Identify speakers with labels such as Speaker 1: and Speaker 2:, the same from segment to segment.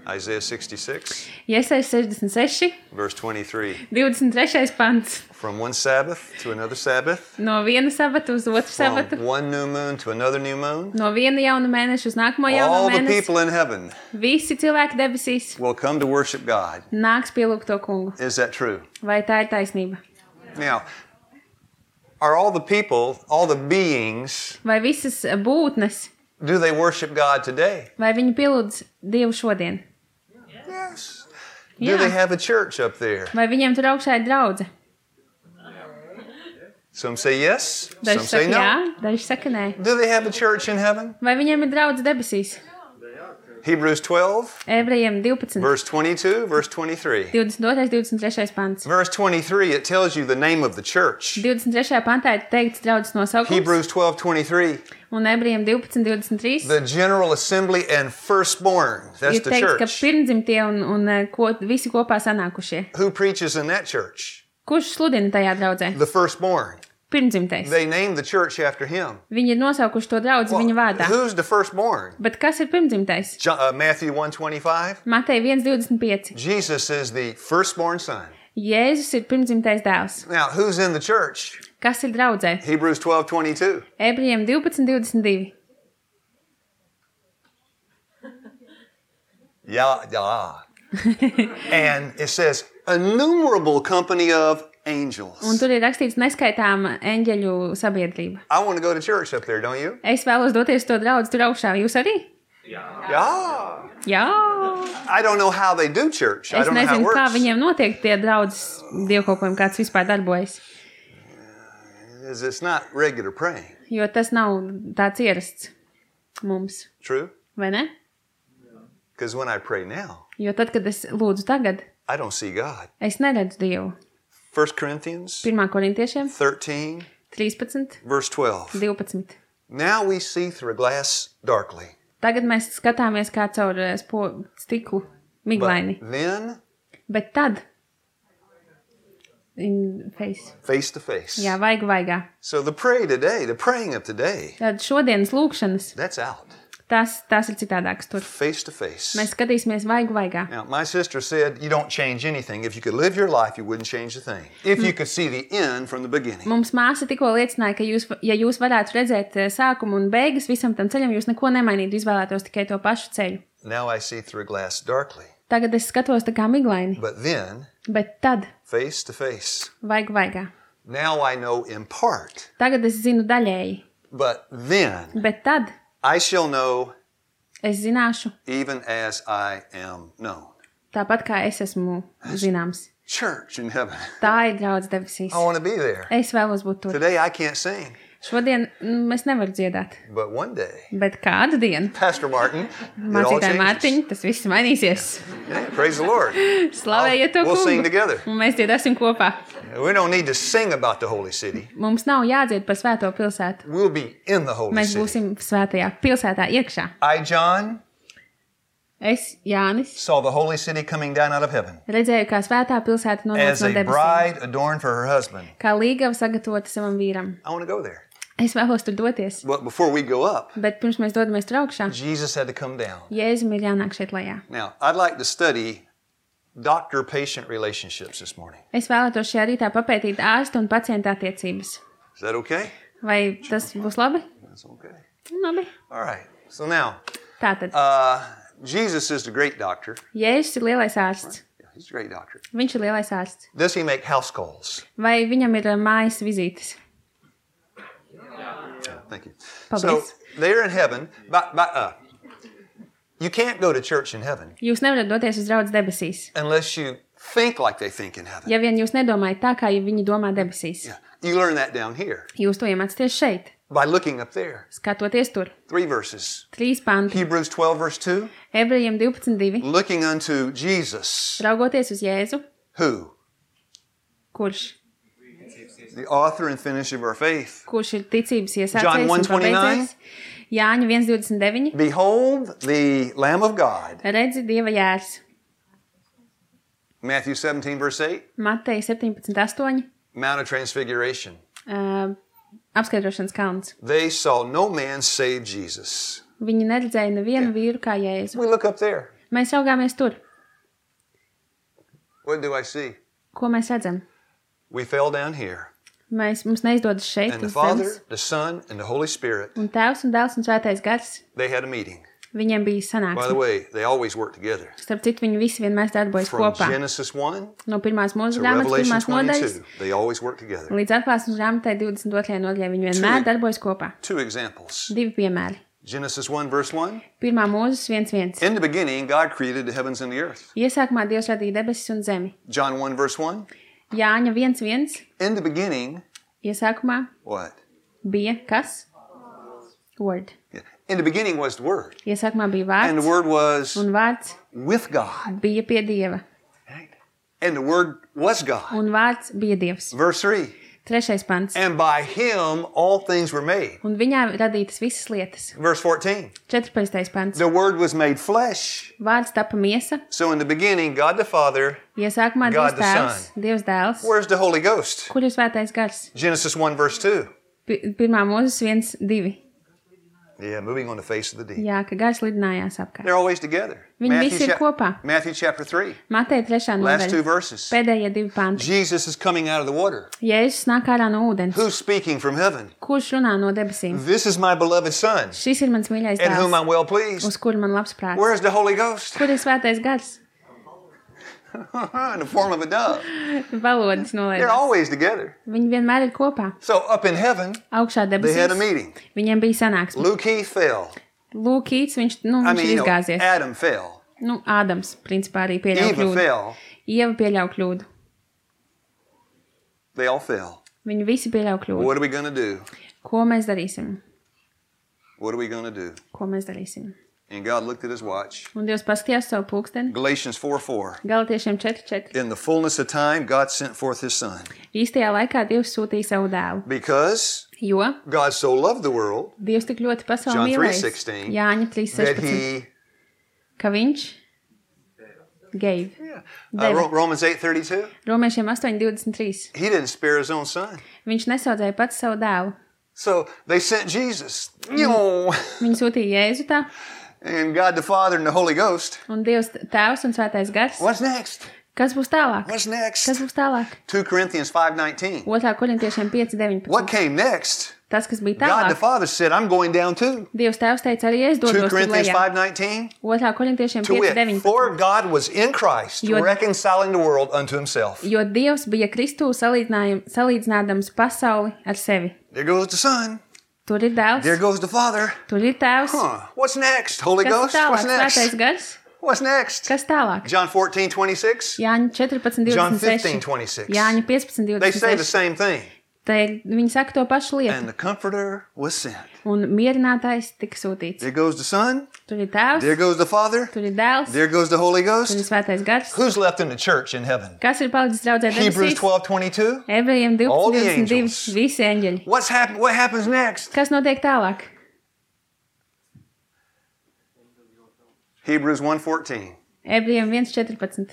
Speaker 1: Isaiah 66,
Speaker 2: Iesaijas 66,
Speaker 1: verse 23.
Speaker 2: 23. pants.
Speaker 1: From one Sabbath to another Sabbath,
Speaker 2: No viena sabata uz otru sabatu,
Speaker 1: from one new moon to another new moon,
Speaker 2: no viena jauna mēneša uz nākamo jauno
Speaker 1: all the
Speaker 2: mēnesi.
Speaker 1: people in heaven
Speaker 2: Visi cilvēki debesīs
Speaker 1: will come to worship God.
Speaker 2: nāks pielūgt to kungu.
Speaker 1: Is that true?
Speaker 2: Vai tā ir taisnība?
Speaker 1: Now, are all the people, all the beings,
Speaker 2: Vai visas būtnes,
Speaker 1: do they worship God today?
Speaker 2: vai viņi pielūdz Dievu šodien?
Speaker 1: Yes.
Speaker 2: Jā.
Speaker 1: Do they have a church up there?
Speaker 2: Vai viņiem tur augšā ir draudze?
Speaker 1: Some say yes, some
Speaker 2: Daži
Speaker 1: say
Speaker 2: saka jā,
Speaker 1: no.
Speaker 2: daži saka nē.
Speaker 1: Do they have a church in heaven?
Speaker 2: Vai viņiem ir draudze debesīs?
Speaker 1: Hebrews 12,
Speaker 2: Ebrejiem 12,
Speaker 1: verse 22, verse 23.
Speaker 2: 22, 23 pants.
Speaker 1: Verse 23, it tells you the name of the church.
Speaker 2: 23. pantā ir teikts draudzes nosaukums,
Speaker 1: Hebrews 12, 23,
Speaker 2: un Ebrejiem 12, 23
Speaker 1: the general assembly and firstborn. That's
Speaker 2: ir
Speaker 1: the
Speaker 2: teikts, ka
Speaker 1: church.
Speaker 2: pirmdzimtie un visi kopā sanākušie.
Speaker 1: Who preaches in that church?
Speaker 2: Kurš sludina tajā draudzē?
Speaker 1: The firstborn.
Speaker 2: Pirmdzimtais.
Speaker 1: They named the church after him.
Speaker 2: Viņi ir nosaukuši to draudzi viņa vārdā.
Speaker 1: Who's the firstborn?
Speaker 2: Bet kas ir pirmdzimtais?
Speaker 1: Matthew 1:25.
Speaker 2: Matei 1,25.
Speaker 1: Jesus is the firstborn son.
Speaker 2: Jēzus ir pirmdzimtais dēls.
Speaker 1: Now, who's in the church?
Speaker 2: Kas ir draudzē?
Speaker 1: Hebrews 12:22.
Speaker 2: Ebrejiem 12, 22.
Speaker 1: Yeah. And it says, innumerable company of angels.
Speaker 2: Un tur ir rakstīts neskaitāma eņģeļu sabiedrība.
Speaker 1: I want to go to church up there, don't you?
Speaker 2: Es vēlos doties to draudzi tur augšā. Jūs arī?
Speaker 1: Yeah.
Speaker 2: Jā.
Speaker 1: I don't know how they do church. I
Speaker 2: Es
Speaker 1: don't know how it
Speaker 2: nezinu, kā
Speaker 1: works.
Speaker 2: viņiem notiek tie draudzes dievkalpojumi, kāds vispār darbojas.
Speaker 1: It's not regular praying.
Speaker 2: Jo tas nav tāds ierasts mums.
Speaker 1: True?
Speaker 2: Vai ne?
Speaker 1: Because when I pray now,
Speaker 2: Jo tad, kad es lūdzu tagad,
Speaker 1: I don't see God.
Speaker 2: es neredzu Dievu.
Speaker 1: 1 Corinthians
Speaker 2: 1. korintiešiem
Speaker 1: 13,
Speaker 2: 13,
Speaker 1: verse 12.
Speaker 2: 12.
Speaker 1: Now we see through a glass darkly.
Speaker 2: Tagad mēs skatāmies kā caur stiklu miglaini.
Speaker 1: But then,
Speaker 2: Bet tad in face.
Speaker 1: to face.
Speaker 2: Jā, vaigu vaigā.
Speaker 1: So the praying of today,
Speaker 2: Tad šodienas lūkšanas,
Speaker 1: that's out.
Speaker 2: tās ir citādākas tur.
Speaker 1: Face to face.
Speaker 2: Mēs skatīsimies vaigu vaigā.
Speaker 1: Now, my sister said, you don't change anything. If you could live your life, you wouldn't change a thing. If you could see the end from the beginning.
Speaker 2: Mums māsa tikko liecināja, ka ja jūs varētu redzēt sākumu un beigas visam tam ceļam, jūs neko nemainītu, izvēlētos tikai to pašu ceļu.
Speaker 1: Now I see through a glass darkly.
Speaker 2: Tagad es skatos tā kā miglaini,
Speaker 1: But then,
Speaker 2: bet tad
Speaker 1: face to face.
Speaker 2: vaigu vaigā.
Speaker 1: Now I know in part.
Speaker 2: Tagad es zinu daļēji,
Speaker 1: But then
Speaker 2: bet tad
Speaker 1: I shall know
Speaker 2: es zināšu
Speaker 1: even as I am known.
Speaker 2: tāpat kā es esmu zināms.
Speaker 1: Church in heaven.
Speaker 2: Tā ir draudz debesīs.
Speaker 1: I want to be there.
Speaker 2: Es vēlos būt tur.
Speaker 1: Today I can't sing,
Speaker 2: Šodien es nevaru dziedāt,
Speaker 1: but one day,
Speaker 2: bet kādu dienu,
Speaker 1: Pastor Martin, it all
Speaker 2: mācītāji
Speaker 1: changes.
Speaker 2: Mārtiņ, tas viss mainīsies.
Speaker 1: Yeah, praise the Lord.
Speaker 2: Slavējiet to
Speaker 1: We'll sing
Speaker 2: kungu.
Speaker 1: together.
Speaker 2: Un mēs dziedāsim kopā.
Speaker 1: We don't need to sing about the holy city.
Speaker 2: Mums nav jādzied par svēto pilsētu.
Speaker 1: We'll be in the holy
Speaker 2: Mēs
Speaker 1: city.
Speaker 2: būsim svētajā pilsētā iekšā.
Speaker 1: I, John,
Speaker 2: Es, Jānis,
Speaker 1: saw the holy city coming down out of heaven
Speaker 2: redzēju, kā svētā pilsēta nonāca
Speaker 1: as
Speaker 2: no
Speaker 1: a
Speaker 2: debesīm.
Speaker 1: bride adorned for her husband.
Speaker 2: Kā līgava sagatavota savam vīram.
Speaker 1: I want to go there.
Speaker 2: Es vēlos tur doties.
Speaker 1: But before we go up,
Speaker 2: Bet pirms mēs dodamies tur augšā,
Speaker 1: Jesus had to come down.
Speaker 2: Jēzum ir jānāk šeit lejā.
Speaker 1: Now, I'd like to study doctor-patient relationships this morning.
Speaker 2: Es vēlētos šajā rītā papētīt ārstu un pacienta attiecības.
Speaker 1: Is that okay?
Speaker 2: Vai tas būs labi?
Speaker 1: That's okay.
Speaker 2: Labi.
Speaker 1: All right. So now,
Speaker 2: Tātad,
Speaker 1: Jesus is the great doctor.
Speaker 2: Jēzus ir lielais ārsts.
Speaker 1: Yeah, he's a great doctor.
Speaker 2: Viņš ir lielais ārsts.
Speaker 1: Does he make house calls?
Speaker 2: Vai viņam ir mājas vizītes?
Speaker 1: Thank you.
Speaker 2: Paldies.
Speaker 1: So they're in heaven. You can't go to church in heaven
Speaker 2: Jūs nevarat doties uz draudz debesīs.
Speaker 1: unless you think like they think in heaven.
Speaker 2: Ja vien jūs nedomājat tā, kā viņi domā debesīs.
Speaker 1: Yeah. You learn that down here
Speaker 2: Jūs to iemācāties šeit,
Speaker 1: by looking up there.
Speaker 2: skatoties tur.
Speaker 1: 3 verses.
Speaker 2: 3 panti.
Speaker 1: Hebrews 12, verse 2.
Speaker 2: Ebrejiem 12.2.
Speaker 1: Looking unto Jesus,
Speaker 2: Raugoties uz Jēzu,
Speaker 1: who?
Speaker 2: kurš
Speaker 1: The author and finisher of our faith.
Speaker 2: ir ticības
Speaker 1: John
Speaker 2: iesācējs un
Speaker 1: 1:29.
Speaker 2: pabeidzējs. Jāņa 1.29.
Speaker 1: Behold the Lamb of God.
Speaker 2: Redzi Dieva jērs.
Speaker 1: Matthew 17, verse 8.
Speaker 2: Mateja 17.8.
Speaker 1: Mount of Transfiguration.
Speaker 2: Apskaidrošanas kalns.
Speaker 1: They saw no man save Jesus.
Speaker 2: Viņi neredzēja nevienu vīru kā Jēzu.
Speaker 1: We look up there.
Speaker 2: Mēs raugāmies tur.
Speaker 1: What do I see?
Speaker 2: Ko mēs redzam?
Speaker 1: We fell down here.
Speaker 2: Mums neizdodas šeit,
Speaker 1: And the
Speaker 2: uz
Speaker 1: Father,
Speaker 2: zemes.
Speaker 1: the Son, and the Holy Spirit,
Speaker 2: Un Tēvs un Dēls un Svētais Gars,
Speaker 1: they had a meeting.
Speaker 2: viņiem bija
Speaker 1: By the
Speaker 2: sanāksme.
Speaker 1: way, they always work together.
Speaker 2: Starp citu, viņi visi vienmēr darbojas
Speaker 1: From
Speaker 2: kopā.
Speaker 1: Genesis 1
Speaker 2: No pirmās mūža
Speaker 1: to
Speaker 2: grāmatas,
Speaker 1: Revelation
Speaker 2: pirmās nodaļas,
Speaker 1: 22, they always work together.
Speaker 2: līdz atklāsmes grāmatai 22. nodaļai. Viņi vienmēr darbojas kopā.
Speaker 1: Two examples.
Speaker 2: Divi piemēri.
Speaker 1: Genesis 1, verse 1.
Speaker 2: Pirmā mūžas 1.1.
Speaker 1: In the beginning, God created the heavens and the earth.
Speaker 2: Iesākumā Dievs radīja debesis un zemi.
Speaker 1: John 1, verse 1.
Speaker 2: Jāņa 1.1.
Speaker 1: In the beginning,
Speaker 2: Iesākumā
Speaker 1: what?
Speaker 2: bija kas? Word.
Speaker 1: Yeah. In the beginning was the Word.
Speaker 2: Iesākumā bija
Speaker 1: And the
Speaker 2: vārds,
Speaker 1: Word was
Speaker 2: un vārds
Speaker 1: with God.
Speaker 2: bija pie Dieva.
Speaker 1: Right? And the Word was God.
Speaker 2: Un vārds bija Dievs.
Speaker 1: Verse 3.
Speaker 2: 3. pants.
Speaker 1: And by Him all things were made.
Speaker 2: Un viņā radītas visas lietas.
Speaker 1: Verse 14.
Speaker 2: 14. pants.
Speaker 1: The Word was made flesh.
Speaker 2: Vārds tapa miesa.
Speaker 1: So in the beginning, God the Father.
Speaker 2: Iesākumā
Speaker 1: God
Speaker 2: Dievs
Speaker 1: the
Speaker 2: Tēvs,
Speaker 1: Son.
Speaker 2: Dievs Dēls.
Speaker 1: Where's the Holy Ghost?
Speaker 2: Kur ir Svētais Gars?
Speaker 1: Genesis 1, verse 2.
Speaker 2: Pirmā mūžas 1.2.
Speaker 1: Yeah, moving on the face of the deep.
Speaker 2: Jā, ka Gars lidinājās apkārt.
Speaker 1: They're always together.
Speaker 2: Viņi visi ir kopā.
Speaker 1: Matthew chapter 3.
Speaker 2: Mateja 3.
Speaker 1: Last two
Speaker 2: nodaļa.
Speaker 1: verses.
Speaker 2: Pēdējie 2 panti.
Speaker 1: Jesus is coming out of the water.
Speaker 2: Jēzus nāk ārā no ūdens.
Speaker 1: Who's speaking from heaven?
Speaker 2: Kurš runā no debesīm?
Speaker 1: This is my beloved Son,
Speaker 2: Šis ir mans mīļais
Speaker 1: in whom
Speaker 2: dēls,
Speaker 1: I'm well pleased.
Speaker 2: uz kuru man labs prāts.
Speaker 1: Where's the Holy Ghost?
Speaker 2: Kur ir Svētais Gars?
Speaker 1: In the form of a dove.
Speaker 2: Valodas
Speaker 1: They're
Speaker 2: nolaidās.
Speaker 1: always together.
Speaker 2: Viņi vienmēr ir kopā.
Speaker 1: So up in heaven,
Speaker 2: Augšā
Speaker 1: they had a
Speaker 2: debesīs.
Speaker 1: meeting.
Speaker 2: Viņiem bija sanāksme.
Speaker 1: Luke Keith fell.
Speaker 2: Lūkīts, viņš
Speaker 1: I
Speaker 2: ir
Speaker 1: mean,
Speaker 2: izgāzies.
Speaker 1: Adam fell.
Speaker 2: Ādams, principā, arī pieļauj
Speaker 1: Eva
Speaker 2: kļūdu.
Speaker 1: fell.
Speaker 2: Ieva pieļauj kļūdu.
Speaker 1: They all fell.
Speaker 2: Viņi visi pieļauj kļūdu.
Speaker 1: What are we going to do?
Speaker 2: Ko mēs darīsim?
Speaker 1: What are we going to do?
Speaker 2: Ko mēs darīsim?
Speaker 1: And God looked at his watch.
Speaker 2: Un Dievs paskatījās savu pulksteni.
Speaker 1: Galatians 4:4.
Speaker 2: Galatiešiem 4.4.
Speaker 1: In the fullness of time, God sent forth his Son.
Speaker 2: Īstajā laikā Dievs sūtīja savu dēlu.
Speaker 1: Because
Speaker 2: Jo
Speaker 1: God so loved the world
Speaker 2: Dievs tik ļoti pasauli
Speaker 1: John
Speaker 2: mīlēja.
Speaker 1: 3:16,
Speaker 2: Jāņa
Speaker 1: that
Speaker 2: 3.16.
Speaker 1: he...
Speaker 2: Ka viņš gave.
Speaker 1: Yeah. Romans 8:32.
Speaker 2: Romiešiem 8.23.
Speaker 1: He didn't spare his own Son.
Speaker 2: Viņš nesaudzēja pats savu dēlu.
Speaker 1: So they sent Jesus. Yo!
Speaker 2: Viņi sūtīja Jēzu tā.
Speaker 1: And God the Father and the Holy Ghost.
Speaker 2: Un Dievs Tēvs un Svētais Gars.
Speaker 1: What's next?
Speaker 2: Kas būs tālāk?
Speaker 1: What's next?
Speaker 2: Kas būs tālāk?
Speaker 1: 2 Corinthians 5:19.
Speaker 2: 2. Korintiešiem 5.19.
Speaker 1: What came next?
Speaker 2: Tas, kas bija
Speaker 1: God the
Speaker 2: tālāk.
Speaker 1: Father said, I'm going down too.
Speaker 2: Dievs Tēvs teica arī es
Speaker 1: 2
Speaker 2: dodos tur
Speaker 1: Corinthians
Speaker 2: lejā.
Speaker 1: 5:19.
Speaker 2: 2. Korintiešiem
Speaker 1: To wit,
Speaker 2: 5.19.
Speaker 1: for God was in Christ,
Speaker 2: Jo-
Speaker 1: reconciling the world unto himself.
Speaker 2: Jo Dievs bija Kristū salīdzinādams pasauli ar sevi.
Speaker 1: There goes the Son.
Speaker 2: Tur ir dēls,
Speaker 1: There goes the Father.
Speaker 2: tur ir tēvs.
Speaker 1: Huh. What's next? Holy
Speaker 2: Kas
Speaker 1: Ghost?
Speaker 2: tālāk?
Speaker 1: What's
Speaker 2: Svētais
Speaker 1: next?
Speaker 2: Gars?
Speaker 1: What's next?
Speaker 2: Kas tālāk?
Speaker 1: John 14:26.
Speaker 2: Jāņa 14.26.
Speaker 1: John 15:26.
Speaker 2: Jāņa
Speaker 1: They say the
Speaker 2: 15.26.
Speaker 1: same thing.
Speaker 2: Viņi saka to pašu lietu.
Speaker 1: And the Comforter was sent.
Speaker 2: Un mierinātājs tika sūtīts.
Speaker 1: There goes the Son.
Speaker 2: Tur ir tēvs,
Speaker 1: There goes the Father.
Speaker 2: tur ir dēls,
Speaker 1: There goes the Holy
Speaker 2: tur ir
Speaker 1: Ghost.
Speaker 2: Svētais Gars.
Speaker 1: Who's left in the church in heaven?
Speaker 2: Kas ir palicis draudzē
Speaker 1: Hebrews
Speaker 2: debesīs?
Speaker 1: 12:22.
Speaker 2: Ebrejiem
Speaker 1: All the
Speaker 2: 12.22.
Speaker 1: angels.
Speaker 2: Visi eņģeļi.
Speaker 1: What happens next?
Speaker 2: Kas notiek tālāk?
Speaker 1: Hebrews 1:14.
Speaker 2: Ebrejiem 1.14.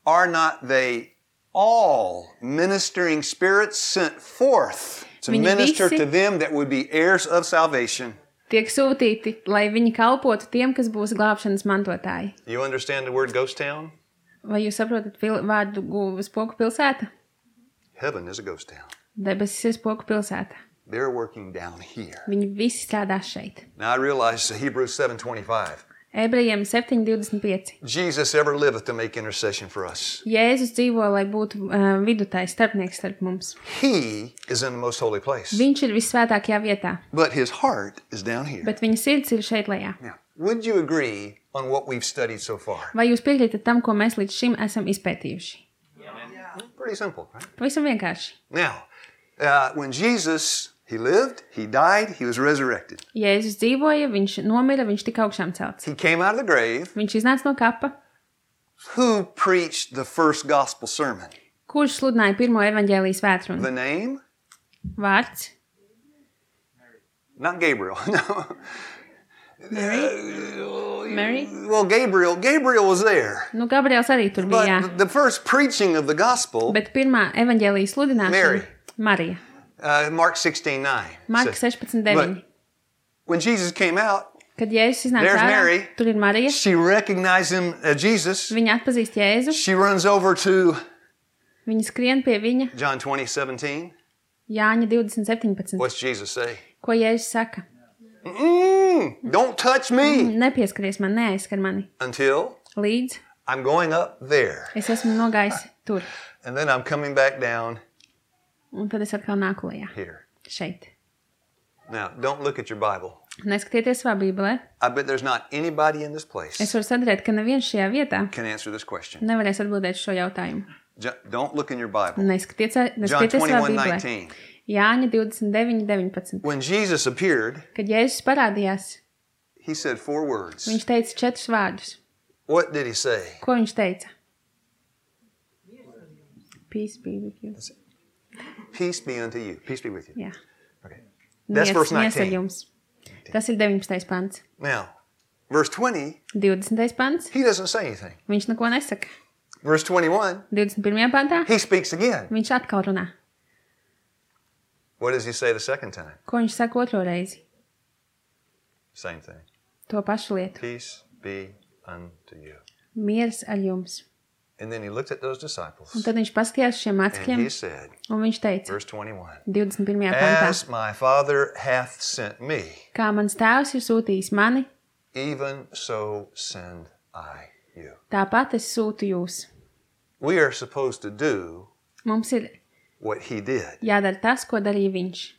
Speaker 1: Are not they all ministering spirits sent forth to
Speaker 2: Viņi
Speaker 1: minister
Speaker 2: visi-
Speaker 1: to them that would be heirs of salvation?
Speaker 2: Tiek sūtīti, lai viņi kalpotu tiem, kas būs glābšanas mantotāji.
Speaker 1: You understand the word ghost town?
Speaker 2: Vai jūs saprotat vārdu spoku pilsēta?
Speaker 1: Heaven is a ghost town.
Speaker 2: Debesis ir spoku pilsēta.
Speaker 1: They're working down here.
Speaker 2: Viņi visi strādā šeit.
Speaker 1: Now I realize Hebrews 7:25.
Speaker 2: Ebrejiem 7.25.
Speaker 1: Jesus ever liveth to make intercession for us.
Speaker 2: Jēzus dzīvo, lai būtu vidutājs starpnieks starp mums.
Speaker 1: He is in the most holy place.
Speaker 2: Viņš ir visvētākajā vietā,
Speaker 1: But his heart is down here.
Speaker 2: bet viņa sirds ir šeit lejā.
Speaker 1: Now, would you agree on what we've studied so far?
Speaker 2: Vai jūs piekrītat tam, ko mēs līdz šim esam izpētījuši?
Speaker 1: Pretty simple, right?
Speaker 2: Pavisam vienkārši.
Speaker 1: Now, when Jesus, he lived, he died, he was resurrected.
Speaker 2: Jēzus dzīvoja, viņš nomira, viņš tika augšām celts.
Speaker 1: He came out of the grave.
Speaker 2: Viņš iznāca no kapa.
Speaker 1: Who preached the first gospel sermon?
Speaker 2: Kurš sludināja pirmo evaņģēlijas vētrunu?
Speaker 1: The name?
Speaker 2: Vārds?
Speaker 1: Not Gabriel. No.
Speaker 2: Mary?
Speaker 1: Well, Gabriel was there.
Speaker 2: Nu, Gabriels arī tur bija, jā.
Speaker 1: But the first preaching of the gospel,
Speaker 2: Bet pirmā evaņģēlijas sludināšana
Speaker 1: Mary.
Speaker 2: Marija.
Speaker 1: Mark 16:9.
Speaker 2: Marka
Speaker 1: says,
Speaker 2: 16.9.
Speaker 1: When Jesus came out,
Speaker 2: Kad Jēzus iznāca
Speaker 1: There's
Speaker 2: ārā,
Speaker 1: Mary.
Speaker 2: tur ir Marija.
Speaker 1: She recognized him as Jesus.
Speaker 2: Viņa atpazīst Jēzu.
Speaker 1: She runs over to
Speaker 2: Viņa skrien pie viņa.
Speaker 1: John 20:17.
Speaker 2: Jāņa 20:17.
Speaker 1: What's Jesus say?
Speaker 2: Ko Jēzus saka?
Speaker 1: Don't touch me
Speaker 2: Nepieskaries man, neaizskar mani.
Speaker 1: until
Speaker 2: Līdz
Speaker 1: I'm going up there.
Speaker 2: es esmu nogājis tur.
Speaker 1: And then I'm coming back down
Speaker 2: Un tad es atkal nāku lejā.
Speaker 1: here.
Speaker 2: Šeit.
Speaker 1: Now, don't look at your Bible.
Speaker 2: Neskatieties savā bībelē.
Speaker 1: I bet there's not anybody in this place
Speaker 2: Es varu sadarēt, ka neviens šajā vietā
Speaker 1: can answer this question.
Speaker 2: nevarēs atbildēt šo jautājumu.
Speaker 1: Don't look in your Bible.
Speaker 2: Neskatieties
Speaker 1: John
Speaker 2: savā bībelē.
Speaker 1: 21:19.
Speaker 2: Jāņa 29:19.
Speaker 1: When Jesus appeared,
Speaker 2: Kad Jēzus parādījās,
Speaker 1: he said 4 words.
Speaker 2: viņš teica 4 vārdus.
Speaker 1: What did he say?
Speaker 2: Ko viņš teica? Peace be with you.
Speaker 1: Peace be unto you. Peace be with you.
Speaker 2: Jā.
Speaker 1: Okay. That's verse
Speaker 2: Miers ar
Speaker 1: 19.
Speaker 2: jums. Tas ir 19. pants.
Speaker 1: Now, verse 20,
Speaker 2: 20. pants.
Speaker 1: he doesn't say anything.
Speaker 2: Viņš neko nesaka.
Speaker 1: Verse 21,
Speaker 2: 21. pantā.
Speaker 1: he speaks again.
Speaker 2: Viņš atkal runā.
Speaker 1: What does he say the second time?
Speaker 2: Ko viņš saka otro reizi?
Speaker 1: Same thing.
Speaker 2: To pašu lietu.
Speaker 1: Peace be unto you.
Speaker 2: Miers ar jums.
Speaker 1: And then he looked at those
Speaker 2: Un
Speaker 1: disciples
Speaker 2: tad viņš paskatījās uz šiem
Speaker 1: and
Speaker 2: mācekļiem,
Speaker 1: he said,
Speaker 2: un viņš teica,
Speaker 1: verse 21,
Speaker 2: 21. pantā,
Speaker 1: as my Father hath sent me,
Speaker 2: kā mans tēvs ir sūtījis mani,
Speaker 1: even so send I you.
Speaker 2: tāpat es sūtu jūs.
Speaker 1: We are supposed to do
Speaker 2: Mums ir
Speaker 1: what he did.
Speaker 2: jādara tas, ko darīja viņš.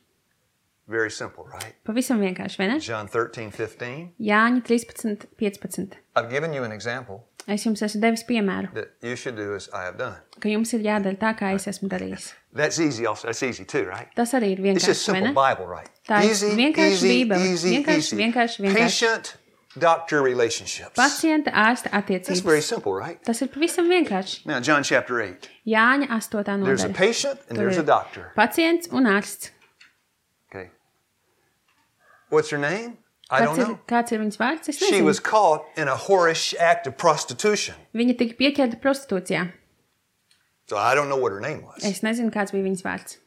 Speaker 1: Very simple, right?
Speaker 2: Pavisam vienkārši, vai ne?
Speaker 1: John 13:15.
Speaker 2: Jāņa 13:15.
Speaker 1: I've given you an example
Speaker 2: Es jums esmu devis piemēru,
Speaker 1: that you should do as I have done.
Speaker 2: ka jums ir jādara tā, kā es esmu darījis.
Speaker 1: That's easy also. That's easy too, right?
Speaker 2: Tas arī ir
Speaker 1: It's just
Speaker 2: vienkārši, vai
Speaker 1: simple
Speaker 2: ne?
Speaker 1: Bible, right?
Speaker 2: Tā ir
Speaker 1: Easy,
Speaker 2: vienkārši
Speaker 1: easy,
Speaker 2: Bībele.
Speaker 1: easy,
Speaker 2: Vienkārši,
Speaker 1: easy.
Speaker 2: vienkārši, vienkārši.
Speaker 1: Patient doctor relationships.
Speaker 2: Pacienta ārsta
Speaker 1: That's very
Speaker 2: attiecības.
Speaker 1: simple, right?
Speaker 2: Tas ir pavisam vienkārši.
Speaker 1: Now, John chapter 8.
Speaker 2: Jāņa 8.
Speaker 1: There's a
Speaker 2: nodaļa.
Speaker 1: patient and
Speaker 2: Tur
Speaker 1: there's a
Speaker 2: ir
Speaker 1: doctor.
Speaker 2: pacients un ārsts.
Speaker 1: Okay. What's her name? I don't know.
Speaker 2: Kāds ir viņas vārds? Es
Speaker 1: She
Speaker 2: nezinu.
Speaker 1: was caught in a whorish act of prostitution.
Speaker 2: Viņa tika pieķerta prostitūcijā.
Speaker 1: So I don't know what her name was.
Speaker 2: Es nezinu, kāds bija viņas vārds.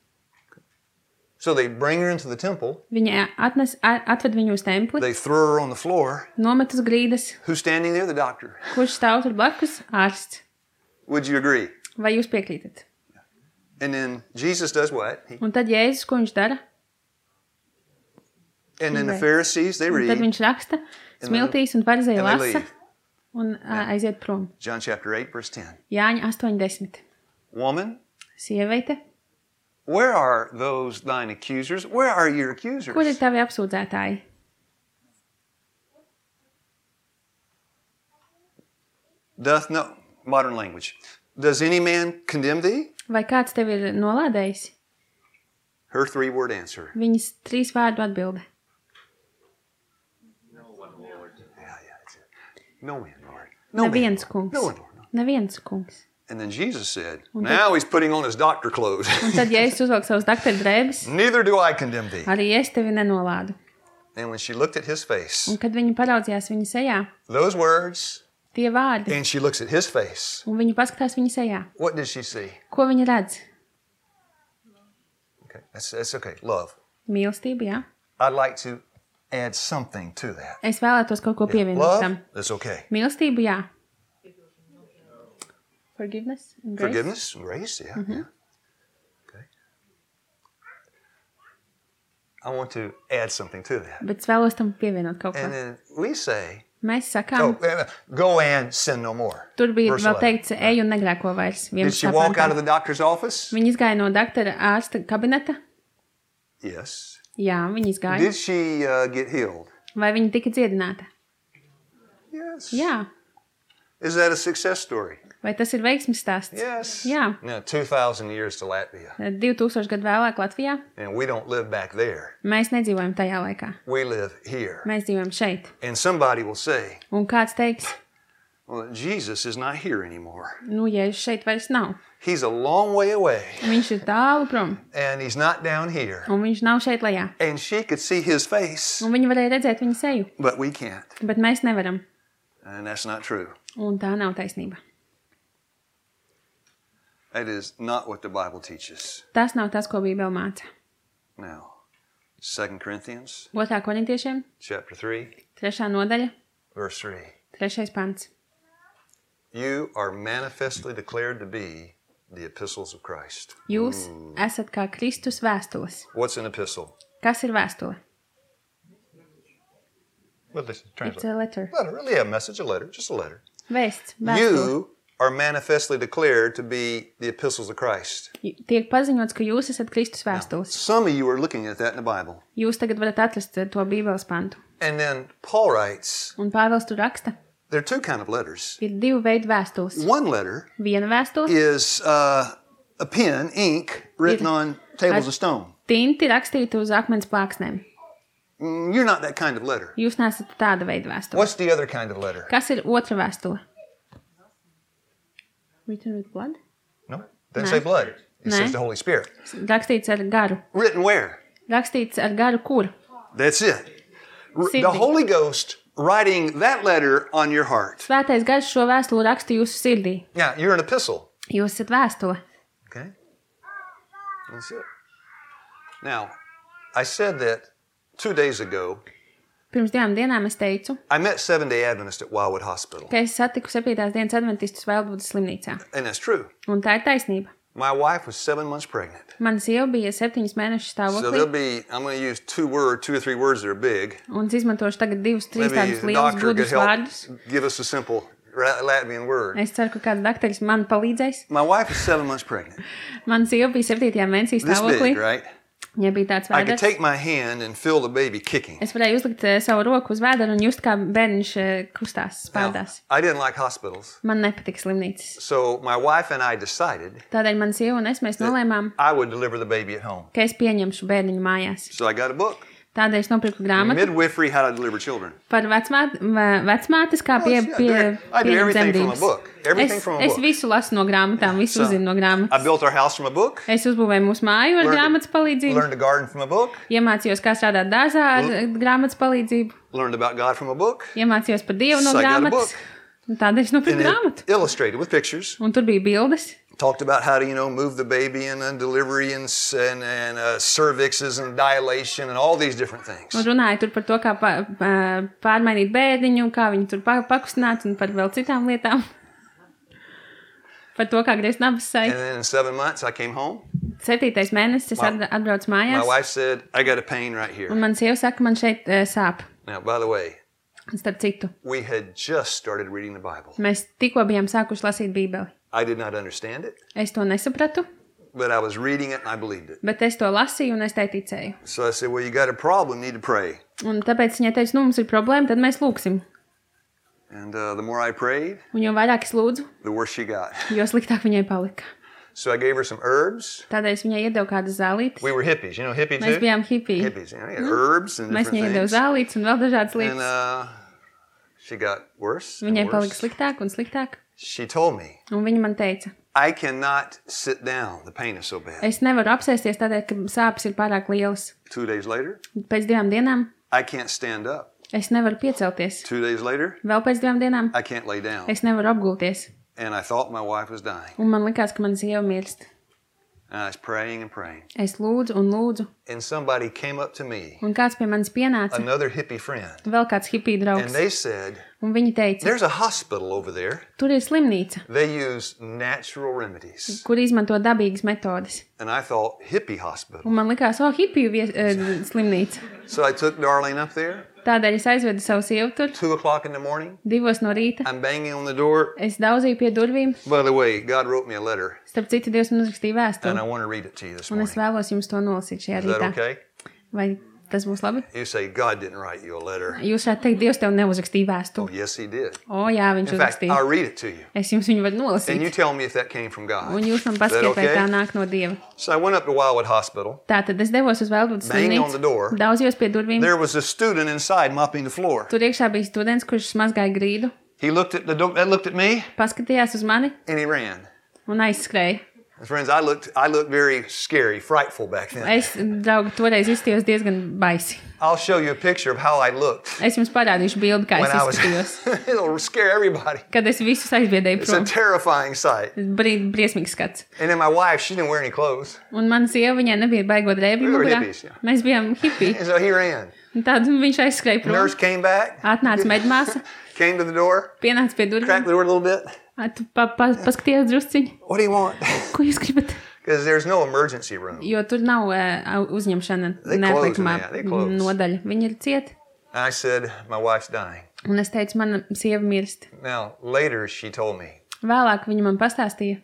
Speaker 1: So they bring her into the temple.
Speaker 2: Viņa atved viņu uz templi,
Speaker 1: They throw her on the floor.
Speaker 2: nomet uz grīdas.
Speaker 1: Who's standing there? The doctor.
Speaker 2: Kurš stāv tur blakus? Ārsts.
Speaker 1: Would you agree?
Speaker 2: Vai jūs piekrītat?
Speaker 1: And then Jesus does what?
Speaker 2: Un tad Jēzus, ko viņš dara?
Speaker 1: And then the
Speaker 2: Right.
Speaker 1: Pharisees, they
Speaker 2: Un tad
Speaker 1: read.
Speaker 2: viņš raksta, smiltīs un farizēji
Speaker 1: And they
Speaker 2: lasa
Speaker 1: leave.
Speaker 2: un aiziet prom.
Speaker 1: John chapter 8, verse 10.
Speaker 2: Jāņa 8:10.
Speaker 1: Woman,
Speaker 2: Sieviete,
Speaker 1: where are those thine accusers? Where are your accusers?
Speaker 2: kur ir tavi apsūdzētāji?
Speaker 1: Doth no modern language. Does any man condemn thee?
Speaker 2: Vai kāds tevi ir nolādējis?
Speaker 1: Her 3-word answer.
Speaker 2: Viņas 3 vārdu atbilde.
Speaker 1: Yeah, that's it. No man, Lord. No man,
Speaker 2: Neviens
Speaker 1: Lord.
Speaker 2: kungs.
Speaker 1: No one, Lord. No.
Speaker 2: Neviens kungs.
Speaker 1: And then Jesus said, now he's putting on his doctor clothes.
Speaker 2: Un tad Jēzus uzvelk savus dakteru drēbes,
Speaker 1: Neither do I condemn thee.
Speaker 2: arī es tevi nenolādu.
Speaker 1: And when she looked at his face,
Speaker 2: Un kad viņa paraudzījās viņa sejā,
Speaker 1: those words,
Speaker 2: tie vārdi,
Speaker 1: and she looks at his face,
Speaker 2: un viņa paskatās viņa sejā,
Speaker 1: what did she see?
Speaker 2: ko viņa redz?
Speaker 1: Okay, that's okay. Love.
Speaker 2: Mīlestība, jā.
Speaker 1: I'd like to add something to that.
Speaker 2: Es vēlētos kaut ko pievienot
Speaker 1: Love,
Speaker 2: tam.
Speaker 1: that's okay.
Speaker 2: Mīlestība, jā. Forgiveness and grace.
Speaker 1: Forgiveness, grace, yeah. Yeah. Okay. I want to add something to that.
Speaker 2: Bet es vēlos tam pievienot kaut ko.
Speaker 1: And then we say,
Speaker 2: Mēs sakām,
Speaker 1: go and sin no more.
Speaker 2: tur bija
Speaker 1: Verse
Speaker 2: vēl
Speaker 1: 11.
Speaker 2: teikts, ej un negrēko vairs.
Speaker 1: Did she
Speaker 2: 11.
Speaker 1: walk out
Speaker 2: pantā.
Speaker 1: of the doctor's office?
Speaker 2: Viņa izgāja no doktora ārsta kabineta.
Speaker 1: Yes.
Speaker 2: Jā, viņa izgāja.
Speaker 1: Did she get healed?
Speaker 2: Vai viņa tika dziedināta?
Speaker 1: Yes.
Speaker 2: Jā.
Speaker 1: Is that a success story?
Speaker 2: Vai tas ir veiksmes stāsts?
Speaker 1: Yes.
Speaker 2: Jā.
Speaker 1: Now, 2,000 years to Latvia.
Speaker 2: 2000 gadu vēlāk Latvijā
Speaker 1: And we don't live back there.
Speaker 2: mēs nedzīvojam tajā laikā.
Speaker 1: We live here.
Speaker 2: Mēs dzīvojam šeit.
Speaker 1: And somebody will say,
Speaker 2: Un kāds teiks,
Speaker 1: well, Jesus is not here anymore.
Speaker 2: nu, Jēzus šeit vairs nav.
Speaker 1: He's a long way away.
Speaker 2: Viņš ir tālu prom,
Speaker 1: And he's not down here.
Speaker 2: un viņš nav šeit lejā.
Speaker 1: And she could see his face,
Speaker 2: Un viņi varēja redzēt viņa seju,
Speaker 1: but we can't.
Speaker 2: bet mēs nevaram.
Speaker 1: And that's not true.
Speaker 2: Un tā nav taisnība.
Speaker 1: That is not what the Bible teaches.
Speaker 2: Tas nav tas, ko Bībele māca.
Speaker 1: Now, 2 Corinthians
Speaker 2: 2. korintiešiem,
Speaker 1: chapter 3.
Speaker 2: 3. nodaļa,
Speaker 1: verse 3.
Speaker 2: 3. pants.
Speaker 1: You are manifestly declared to be the epistles of Christ.
Speaker 2: Jūs esat kā Kristus vēstules.
Speaker 1: What's an epistle?
Speaker 2: Kas ir vēstule?
Speaker 1: What does it
Speaker 2: It's
Speaker 1: translate?
Speaker 2: a letter.
Speaker 1: Letter, really a message, a letter, just a letter.
Speaker 2: Vēsts, vēstule.
Speaker 1: You are manifestly declared to be the epistles of Christ.
Speaker 2: Tiek paziņots, ka jūs esat Kristus vēstules.
Speaker 1: Some of you are looking at that in the Bible.
Speaker 2: Jūs tagad varat atrast to Bībeles pantu.
Speaker 1: And then Paul writes,
Speaker 2: Un Pāvils tur raksta,
Speaker 1: there are two kind of letters.
Speaker 2: ir 2 veidu vēstules.
Speaker 1: One letter
Speaker 2: Viena vēstule
Speaker 1: is a pen, ink, written on tables of stone.
Speaker 2: tinti rakstīta uz akmens plāksnēm.
Speaker 1: You're not that kind of letter.
Speaker 2: Jūs neesat tāda veida vēstule.
Speaker 1: What's the other kind of letter?
Speaker 2: Kas ir otra vēstule? Written with blood?
Speaker 1: No, doesn't
Speaker 2: No.
Speaker 1: say blood. It
Speaker 2: No.
Speaker 1: says the Holy Spirit.
Speaker 2: Rakstīts ar garu.
Speaker 1: Written where?
Speaker 2: Rakstīts ar garu kur?
Speaker 1: That's it. The
Speaker 2: Sirdī.
Speaker 1: Holy Ghost writing that letter on your heart.
Speaker 2: Svētais gars šo vēstuli raksta jūsu sirdī.
Speaker 1: Yeah, you're an epistle.
Speaker 2: Jūs esat vēstule.
Speaker 1: Okay? That's it. Now, I said that 2 days ago.
Speaker 2: Pirms 2 dienām es teicu,
Speaker 1: I met Seventh-day Adventist at Wildwood Hospital.
Speaker 2: ka es satiku 7. dienas adventistus Vēlbudas slimnīcā.
Speaker 1: And that's true.
Speaker 2: Un tā ir taisnība.
Speaker 1: My wife was 7 months pregnant.
Speaker 2: Mana sieva bija 7 mēnešu
Speaker 1: So there'll
Speaker 2: stāvoklī.
Speaker 1: be, I'm going to use 2 or 3 words that are big.
Speaker 2: Un es izmantošu tagad 2, 3
Speaker 1: Maybe
Speaker 2: tādus
Speaker 1: the
Speaker 2: lielus
Speaker 1: doctor could
Speaker 2: gudrus
Speaker 1: help
Speaker 2: vārdus.
Speaker 1: give us a simple Latvian word.
Speaker 2: Es ceru, ka kāds dakteris man palīdzēs.
Speaker 1: My wife is 7 months pregnant.
Speaker 2: Mana sieva bija 7. mēnesī
Speaker 1: This
Speaker 2: stāvoklī.
Speaker 1: big, right?
Speaker 2: Viņai bija tāds
Speaker 1: I could
Speaker 2: vēders.
Speaker 1: take my hand and feel the baby kicking.
Speaker 2: Es varēju uzlikt savu roku uz vēdera un just kā bērniņš kustās,
Speaker 1: Now,
Speaker 2: spēldās.
Speaker 1: I didn't like hospitals.
Speaker 2: Man nepatika slimnīcas.
Speaker 1: So my wife and I decided
Speaker 2: Tādēļ mana sieva un es mēs nolēmām,
Speaker 1: I would deliver the baby at home.
Speaker 2: ka es pieņemšu bērniņu mājās.
Speaker 1: So I got a book,
Speaker 2: Tādēļ es nopirku grāmatu
Speaker 1: Midwifery, How to Deliver Children.
Speaker 2: par vecmātes, kā
Speaker 1: I do
Speaker 2: pieņemt
Speaker 1: everything from a
Speaker 2: dzemdības.
Speaker 1: book. Everything from a
Speaker 2: Es
Speaker 1: book.
Speaker 2: visu lasu no grāmatām, visu
Speaker 1: So,
Speaker 2: uzzinu no
Speaker 1: I
Speaker 2: grāmatas.
Speaker 1: built our house from a book.
Speaker 2: Es uzbūvēju mūsu māju ar
Speaker 1: Learned-
Speaker 2: grāmatas palīdzību.
Speaker 1: Learned to garden from a book.
Speaker 2: Iemācījos, kā strādāt dārzā ar grāmatas palīdzību.
Speaker 1: Learned about God from a book.
Speaker 2: Iemācījos par Dievu no
Speaker 1: So I got a
Speaker 2: grāmatas.
Speaker 1: book.
Speaker 2: Un tādēļ es nopirku
Speaker 1: And
Speaker 2: grāmatu.
Speaker 1: it illustrated with pictures.
Speaker 2: Un tur bija bildes.
Speaker 1: Talked about how to, move the baby and delivery and cervixes and dilation and all these different things.
Speaker 2: Un runāja tur par to, kā pārmainīt bērniņu, kā viņu tur pakustināt un par vēl citām lietām. Par to, kā griezt nabas
Speaker 1: And
Speaker 2: saitu.
Speaker 1: then in 7 months, I came home.
Speaker 2: 7. mēnesis es atbraucu
Speaker 1: My
Speaker 2: mājās.
Speaker 1: wife said, I got a pain right here.
Speaker 2: Un man sieva saka, man šeit sāp.
Speaker 1: Now, by the way,
Speaker 2: Un starp citu,
Speaker 1: we had just started reading the Bible.
Speaker 2: mēs tikko bijām sākuši lasīt Bībeli.
Speaker 1: I did not understand it,
Speaker 2: Es to nesapratu,
Speaker 1: but I was reading it and I believed it.
Speaker 2: bet es to lasīju un es tai ticēju.
Speaker 1: So I said, well, you got a problem, need to pray.
Speaker 2: Un tāpēc viņai teica, nu mums ir problēma, tad mēs lūksim.
Speaker 1: And the more I prayed,
Speaker 2: Un jo vairāk es lūdzu,
Speaker 1: the worse she got.
Speaker 2: jo sliktāk viņai palika.
Speaker 1: So I gave her some herbs.
Speaker 2: Tādēļ es viņai iedevu kādas zālītes.
Speaker 1: We were hippies, hippie
Speaker 2: Mēs
Speaker 1: too?
Speaker 2: bijām hipiji.
Speaker 1: Hippies, herbs and
Speaker 2: Mēs viņai
Speaker 1: different
Speaker 2: iedevu
Speaker 1: things.
Speaker 2: zālītes un vēl dažādas
Speaker 1: And
Speaker 2: lietas.
Speaker 1: she got worse and
Speaker 2: Viņai palika
Speaker 1: worse.
Speaker 2: sliktāk un sliktāk.
Speaker 1: She told me,
Speaker 2: Un viņa man teica,
Speaker 1: I cannot sit down. The pain is so bad.
Speaker 2: es nevaru apsēsties tādēļ, ka sāpes ir pārāk lielas.
Speaker 1: 2 days later,
Speaker 2: Pēc 2 dienām
Speaker 1: I can't stand up.
Speaker 2: es nevaru piecelties.
Speaker 1: 2 days later,
Speaker 2: Vēl pēc 2 dienām
Speaker 1: I can't lay down.
Speaker 2: es nevaru apgulties.
Speaker 1: And I thought my wife was dying.
Speaker 2: Un man likās, ka man sieva mirst.
Speaker 1: And I was praying and praying.
Speaker 2: Es lūdzu un lūdzu.
Speaker 1: And somebody came up to me,
Speaker 2: Un kāds pie manis pienāca,
Speaker 1: another hippie friend,
Speaker 2: vēl kāds hipija
Speaker 1: and
Speaker 2: draugs.
Speaker 1: they said,
Speaker 2: Un viņi teica,
Speaker 1: there's a hospital over there.
Speaker 2: tur ir slimnīca,
Speaker 1: They use natural remedies.
Speaker 2: kur izmanto dabīgas metodes.
Speaker 1: And I thought, hippie hospital.
Speaker 2: Un man likās, hipiju slimnīca.
Speaker 1: So I took Darlene up there,
Speaker 2: Tādēļ es aizvedu savu sievu tur,
Speaker 1: 2 o'clock in the morning.
Speaker 2: 2 no rīta.
Speaker 1: I'm banging on the door.
Speaker 2: Es daudzīju pie durvīm.
Speaker 1: By the way, God wrote me a letter,
Speaker 2: Starp citu, Dievs man uzrakstīja
Speaker 1: and I
Speaker 2: vēstuli.
Speaker 1: want to read it to you this
Speaker 2: Un es
Speaker 1: morning.
Speaker 2: vēlos jums to nolasīt šajā
Speaker 1: Is that
Speaker 2: rītā.
Speaker 1: okay?
Speaker 2: Vai tas būs labi?
Speaker 1: You say, God didn't write you a letter.
Speaker 2: Jūs varētu teikt, Dievs tev neuzrakstīja
Speaker 1: Oh,
Speaker 2: vēstuli.
Speaker 1: yes, he did.
Speaker 2: O, jā, viņš
Speaker 1: In fact, I'll
Speaker 2: uzrakstīja.
Speaker 1: read it to you.
Speaker 2: Es jums viņu varu
Speaker 1: And you
Speaker 2: nolasīt.
Speaker 1: tell me if that came from God.
Speaker 2: Un jūs man
Speaker 1: Is that
Speaker 2: pasakiet, vai tā
Speaker 1: okay?
Speaker 2: nāk no Dieva.
Speaker 1: So I went up to Wildwood Hospital.
Speaker 2: Tātad es devos uz Vēlbudas
Speaker 1: Banging on the door.
Speaker 2: slimnīcu, daudzījos pie durvīm.
Speaker 1: There was a student inside mopping the floor.
Speaker 2: Tur iekšā bija students, kurš mazgāja grīdu,
Speaker 1: He looked at me,
Speaker 2: paskatījās uz mani
Speaker 1: and he ran.
Speaker 2: un aizskrēja.
Speaker 1: Friends, I looked very scary, frightful back then.
Speaker 2: Es, draugi, toreiz izskatījos diezgan baisi.
Speaker 1: I'll show you a picture of how I looked
Speaker 2: Es jums parādīšu bildi, kā
Speaker 1: when
Speaker 2: es
Speaker 1: I was.
Speaker 2: izskatījos.
Speaker 1: It'll scare everybody.
Speaker 2: Kad es visus aizbiedēju
Speaker 1: It's a
Speaker 2: prom.
Speaker 1: terrifying sight.
Speaker 2: Briesmīgs skats.
Speaker 1: And then my wife, she didn't wear any clothes.
Speaker 2: Un mana sieva, viņai nebija baigot drēbju
Speaker 1: We were
Speaker 2: mugurā.
Speaker 1: hippies, jā.
Speaker 2: Mēs bijām hippiji.
Speaker 1: And so he ran.
Speaker 2: Un tad viņš aizskrēja prom.
Speaker 1: Nurse came back,
Speaker 2: Atnāca medmāsa,
Speaker 1: came to the door,
Speaker 2: pienāca pie
Speaker 1: cracked
Speaker 2: durvīm.
Speaker 1: the door a little bit.
Speaker 2: Tu paskaties drusciņi.
Speaker 1: What do you want?
Speaker 2: Ko jūs gribat?
Speaker 1: Because there's no emergency room.
Speaker 2: Jo tur nav uzņemšana
Speaker 1: They
Speaker 2: neatliekamā
Speaker 1: close, they close.
Speaker 2: nodaļa. Viņi ir cieti.
Speaker 1: And I said, my wife's dying.
Speaker 2: Un es teicu, mana sieva mirst.
Speaker 1: Now, later she told me,
Speaker 2: Vēlāk viņa man pastāstīja.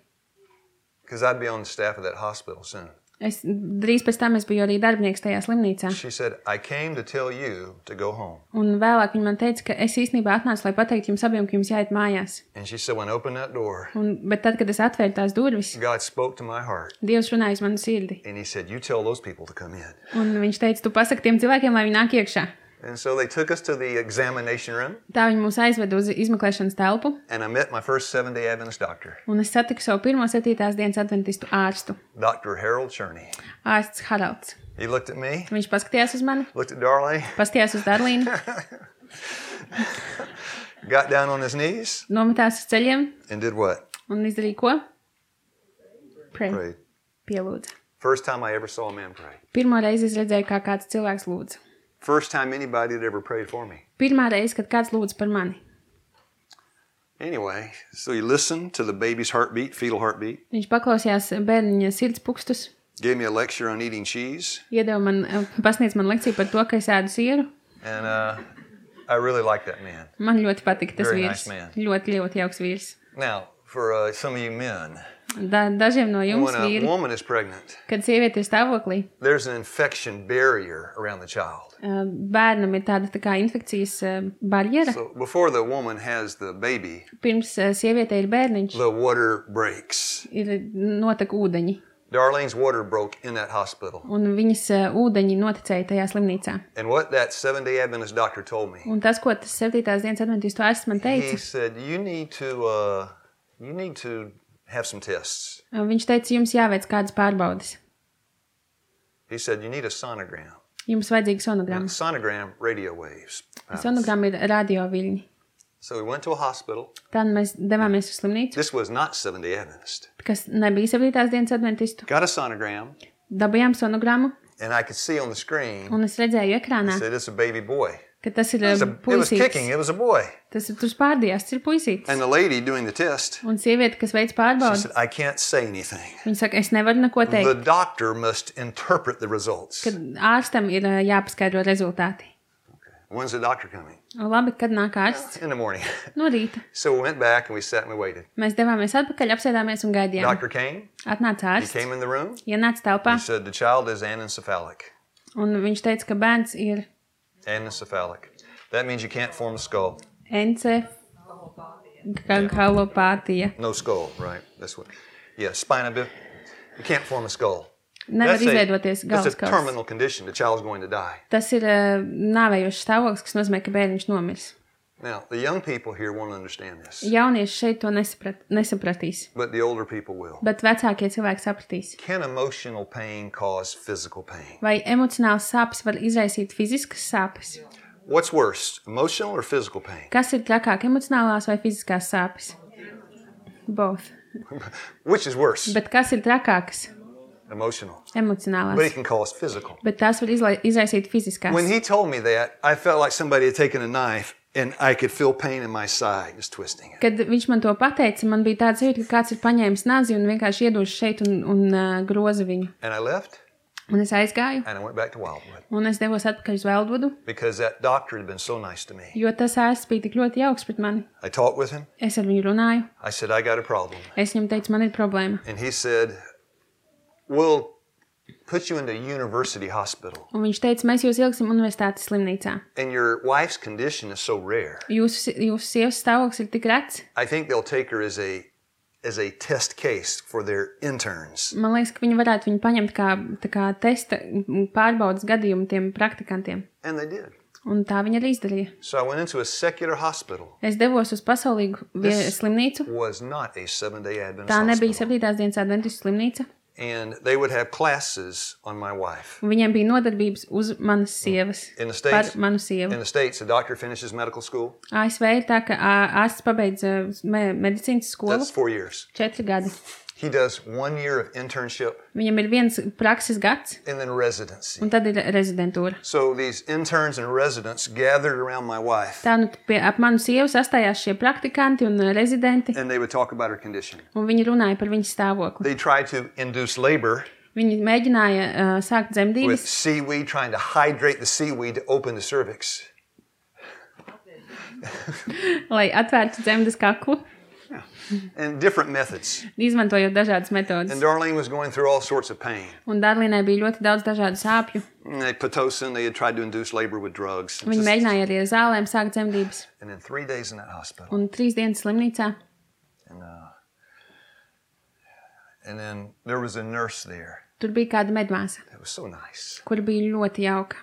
Speaker 1: because I'd be on the staff of that hospital soon.
Speaker 2: Drīz pēc tam es biju arī darbinieks tajā slimnīcā.
Speaker 1: She said, I came to tell you to go home.
Speaker 2: Un vēlāk viņa man teica, ka es īstenībā atnācu, lai pateiktu jums abiem, ka jums jāiet mājās.
Speaker 1: And she said, when I opened that door,
Speaker 2: Bet tad, kad es atvēru tās durvis,
Speaker 1: God spoke to my heart.
Speaker 2: Dievs runāja uz manu sirdi.
Speaker 1: And he said, you tell those people to come in.
Speaker 2: Un viņš teica, tu pasaki tiem cilvēkiem, lai viņi nāk iekšā.
Speaker 1: And so they took us to the examination room.
Speaker 2: Tā viņi mūs aizveda uz izmeklēšanas telpu.
Speaker 1: And I met my first Seventh-day Adventist doctor,
Speaker 2: Un es satiku savu pirmo 7. dienas adventistu ārstu.
Speaker 1: Dr. Harold Cherney.
Speaker 2: Ārsts Haralds.
Speaker 1: He looked at me,
Speaker 2: Viņš paskatījās uz mani,
Speaker 1: looked at Darlene,
Speaker 2: paskatījās uz Darlīnu,
Speaker 1: got down on his knees,
Speaker 2: nometās uz ceļiem
Speaker 1: and did what?
Speaker 2: un izdarīja ko? Pray.
Speaker 1: Prayed.
Speaker 2: Pielūdza.
Speaker 1: First time I ever saw a man pray.
Speaker 2: Pirmo reizi es redzēju, kā kāds cilvēks lūdza.
Speaker 1: First time anybody had ever prayed for me.
Speaker 2: Pirmā reize, kad kāds lūdza par mani.
Speaker 1: Anyway, so he listened to the baby's heartbeat, fetal heartbeat,
Speaker 2: Viņš paklausījās bērniņa sirds pukstus,
Speaker 1: gave me a lecture on eating cheese,
Speaker 2: iedeva man, pasniedz man lekciju par to, ka es ēdu sieru.
Speaker 1: and I really liked that man.
Speaker 2: Man ļoti patika tas
Speaker 1: Very
Speaker 2: vīrs.
Speaker 1: nice man.
Speaker 2: Ļoti jauks vīrs.
Speaker 1: Now, for some of you men,
Speaker 2: Dažiem no jums
Speaker 1: when a
Speaker 2: vīri,
Speaker 1: woman is pregnant,
Speaker 2: kad sieviete ir stāvoklī,
Speaker 1: there's an infection barrier around the child.
Speaker 2: bērnam ir tāda tā kā infekcijas barjera.
Speaker 1: So before the woman has the baby,
Speaker 2: Pirms sievietei ir bērniņš,
Speaker 1: the water breaks.
Speaker 2: ir notek ūdeņi.
Speaker 1: Darlene's water broke in that hospital.
Speaker 2: Un viņas ūdeņi noticēja tajā slimnīcā.
Speaker 1: And what that Seventh-day Adventist doctor told me,
Speaker 2: Un tas, ko tas 7. dienas adventistu ārsts man
Speaker 1: he
Speaker 2: teica,
Speaker 1: said, you need to have some tests.
Speaker 2: viņš teica, jums jāveic kādas pārbaudes.
Speaker 1: He said, you need a sonogram.
Speaker 2: Jums vajadzīga sonogramma.
Speaker 1: Sonogram radio waves.
Speaker 2: Sonogramma ir radioviļņi.
Speaker 1: So we went to a hospital.
Speaker 2: Tad mēs devāmies uz slimnīcu,
Speaker 1: This was not Seventh-day Adventist.
Speaker 2: kas nebija 7. dienas adventistu.
Speaker 1: Got a sonogram,
Speaker 2: Dabījām sonogrammu,
Speaker 1: and I could see on the screen,
Speaker 2: un es redzēju ekrānā,
Speaker 1: it said, it's a baby boy.
Speaker 2: ka tas ir
Speaker 1: It was kicking.
Speaker 2: puisītis.
Speaker 1: It was a boy.
Speaker 2: Tas ir tur spārdījās, tas ir puisītis.
Speaker 1: And the lady doing the test,
Speaker 2: Un sieviete, kas veic
Speaker 1: she
Speaker 2: pārbaudi,
Speaker 1: said, I can't say anything.
Speaker 2: viņa saka, es nevaru neko
Speaker 1: The
Speaker 2: teikt,
Speaker 1: doctor must interpret the results.
Speaker 2: kad ārstam ir jāpaskaidro rezultāti.
Speaker 1: When's the doctor coming?
Speaker 2: Labi, kad nāk ārsts?
Speaker 1: In the morning.
Speaker 2: No rīta.
Speaker 1: So we went back and we sat and we waited.
Speaker 2: Mēs devāmies atpakaļ, apsēdāmies un gaidījām.
Speaker 1: Doctor came.
Speaker 2: Atnāca
Speaker 1: He
Speaker 2: ārsts,
Speaker 1: came in the room.
Speaker 2: ienāca telpā,
Speaker 1: He said, the child is anencephalic.
Speaker 2: un viņš teica, ka bērns ir
Speaker 1: Anencephalic. That means you can't form a skull.
Speaker 2: encefalopātija.
Speaker 1: No skull, right? That's what. Yeah, spina bifida. You can't form a skull.
Speaker 2: Nevar izveidoties
Speaker 1: That's a
Speaker 2: galvaskauls.
Speaker 1: terminal condition. The child's going to die.
Speaker 2: Tas ir nāvējošs stāvoklis, kas nozīmē, ka bērniņš nomirs.
Speaker 1: Now, the young people here won't understand this,
Speaker 2: Jaunieši šeit to nesapratīs,
Speaker 1: but the older people will.
Speaker 2: bet vecākie cilvēki sapratīs.
Speaker 1: Can emotional pain cause physical pain?
Speaker 2: Vai emocionāls sāpes var izraisīt fiziskas sāpes?
Speaker 1: What's worse, emotional or physical pain?
Speaker 2: Kas ir trakāk, emocionālās vai fiziskās sāpes? Both.
Speaker 1: Which is worse?
Speaker 2: Bet kas ir trakākas?
Speaker 1: Emotional. But it
Speaker 2: Emocionālās.
Speaker 1: can cause physical.
Speaker 2: Bet tās var izraisīt fiziskās.
Speaker 1: When he told me that, I felt like somebody had taken a knife and I could feel pain in my side just twisting it.
Speaker 2: Kad viņš man to pateica, man bija tāds jūtas, ka kāds ir paņēmis nazi un vienkārši iedodas šeit un groza viņu.
Speaker 1: And I left
Speaker 2: Un es aizgāju,
Speaker 1: and I went back to Wildwood
Speaker 2: un es devos atpakaļ uz Veldvodu,
Speaker 1: because that doctor had been so nice to me.
Speaker 2: jo tas ārsts bija tik ļoti jauks pret mani.
Speaker 1: I talked with him.
Speaker 2: Es ar viņu runāju,
Speaker 1: I said, I got a problem.
Speaker 2: es viņam teicu, man ir problēma.
Speaker 1: And he said, we'll put you into University Hospital.
Speaker 2: Un viņš teica, mēs jūs ieliksim universitātes slimnīcā.
Speaker 1: And your wife's condition is so rare.
Speaker 2: Jūsu sievas stāvoklis ir tik rets.
Speaker 1: I think they'll take her as a test case for their interns.
Speaker 2: Man liekas, ka viņi varētu viņu paņemt kā testa pārbaudas gadījumu tiem praktikantiem.
Speaker 1: And they did.
Speaker 2: Un tā viņa arī izdarīja.
Speaker 1: So I went into a secular hospital.
Speaker 2: Es devos uz pasaulīgu slimnīcu.
Speaker 1: Was not a 7-day Adventist
Speaker 2: Tā nebija
Speaker 1: hospital.
Speaker 2: 7. dienas adventistu slimnīca.
Speaker 1: And they would have classes on my wife.
Speaker 2: Un viņiem bija nodarbības uz manas sievas.
Speaker 1: In the
Speaker 2: Par
Speaker 1: States,
Speaker 2: manu sievu.
Speaker 1: in the States, a doctor finishes medical school.
Speaker 2: ASV ir tā, ka ārsts pabeidz medicīnas skolu
Speaker 1: That's 4 years.
Speaker 2: 4 gadi.
Speaker 1: He does 1 year of internship
Speaker 2: Viņam ir viens prakses gads,
Speaker 1: and then residency.
Speaker 2: un tad ir rezidentūra.
Speaker 1: So these interns and residents gathered around my wife,
Speaker 2: Tā nu ap manu sievu sastājās šie praktikanti un rezidenti,
Speaker 1: and they would talk about her condition.
Speaker 2: un viņi runāja par viņas stāvokli.
Speaker 1: They tried to induce labor
Speaker 2: Viņi mēģināja sākt
Speaker 1: with
Speaker 2: dzemdības,
Speaker 1: seaweed, trying to hydrate the seaweed to open the cervix.
Speaker 2: lai atvērtu dzemdas kaklu,
Speaker 1: And different methods.
Speaker 2: izmantojot dažādas metodas.
Speaker 1: And Darlene was going through all sorts of pain.
Speaker 2: Un Darlīnai bija ļoti daudz dažādu sāpju.
Speaker 1: Pitocin, they had tried to induce labor with drugs.
Speaker 2: Viņa mēģināja arī ar zālēm sākt dzemdības.
Speaker 1: And then 3 days in that hospital.
Speaker 2: Un 3 dienas slimnīcā.
Speaker 1: And then there was a nurse there.
Speaker 2: Tur bija kāda medmāsa,
Speaker 1: It was so nice.
Speaker 2: kur bija ļoti jauka.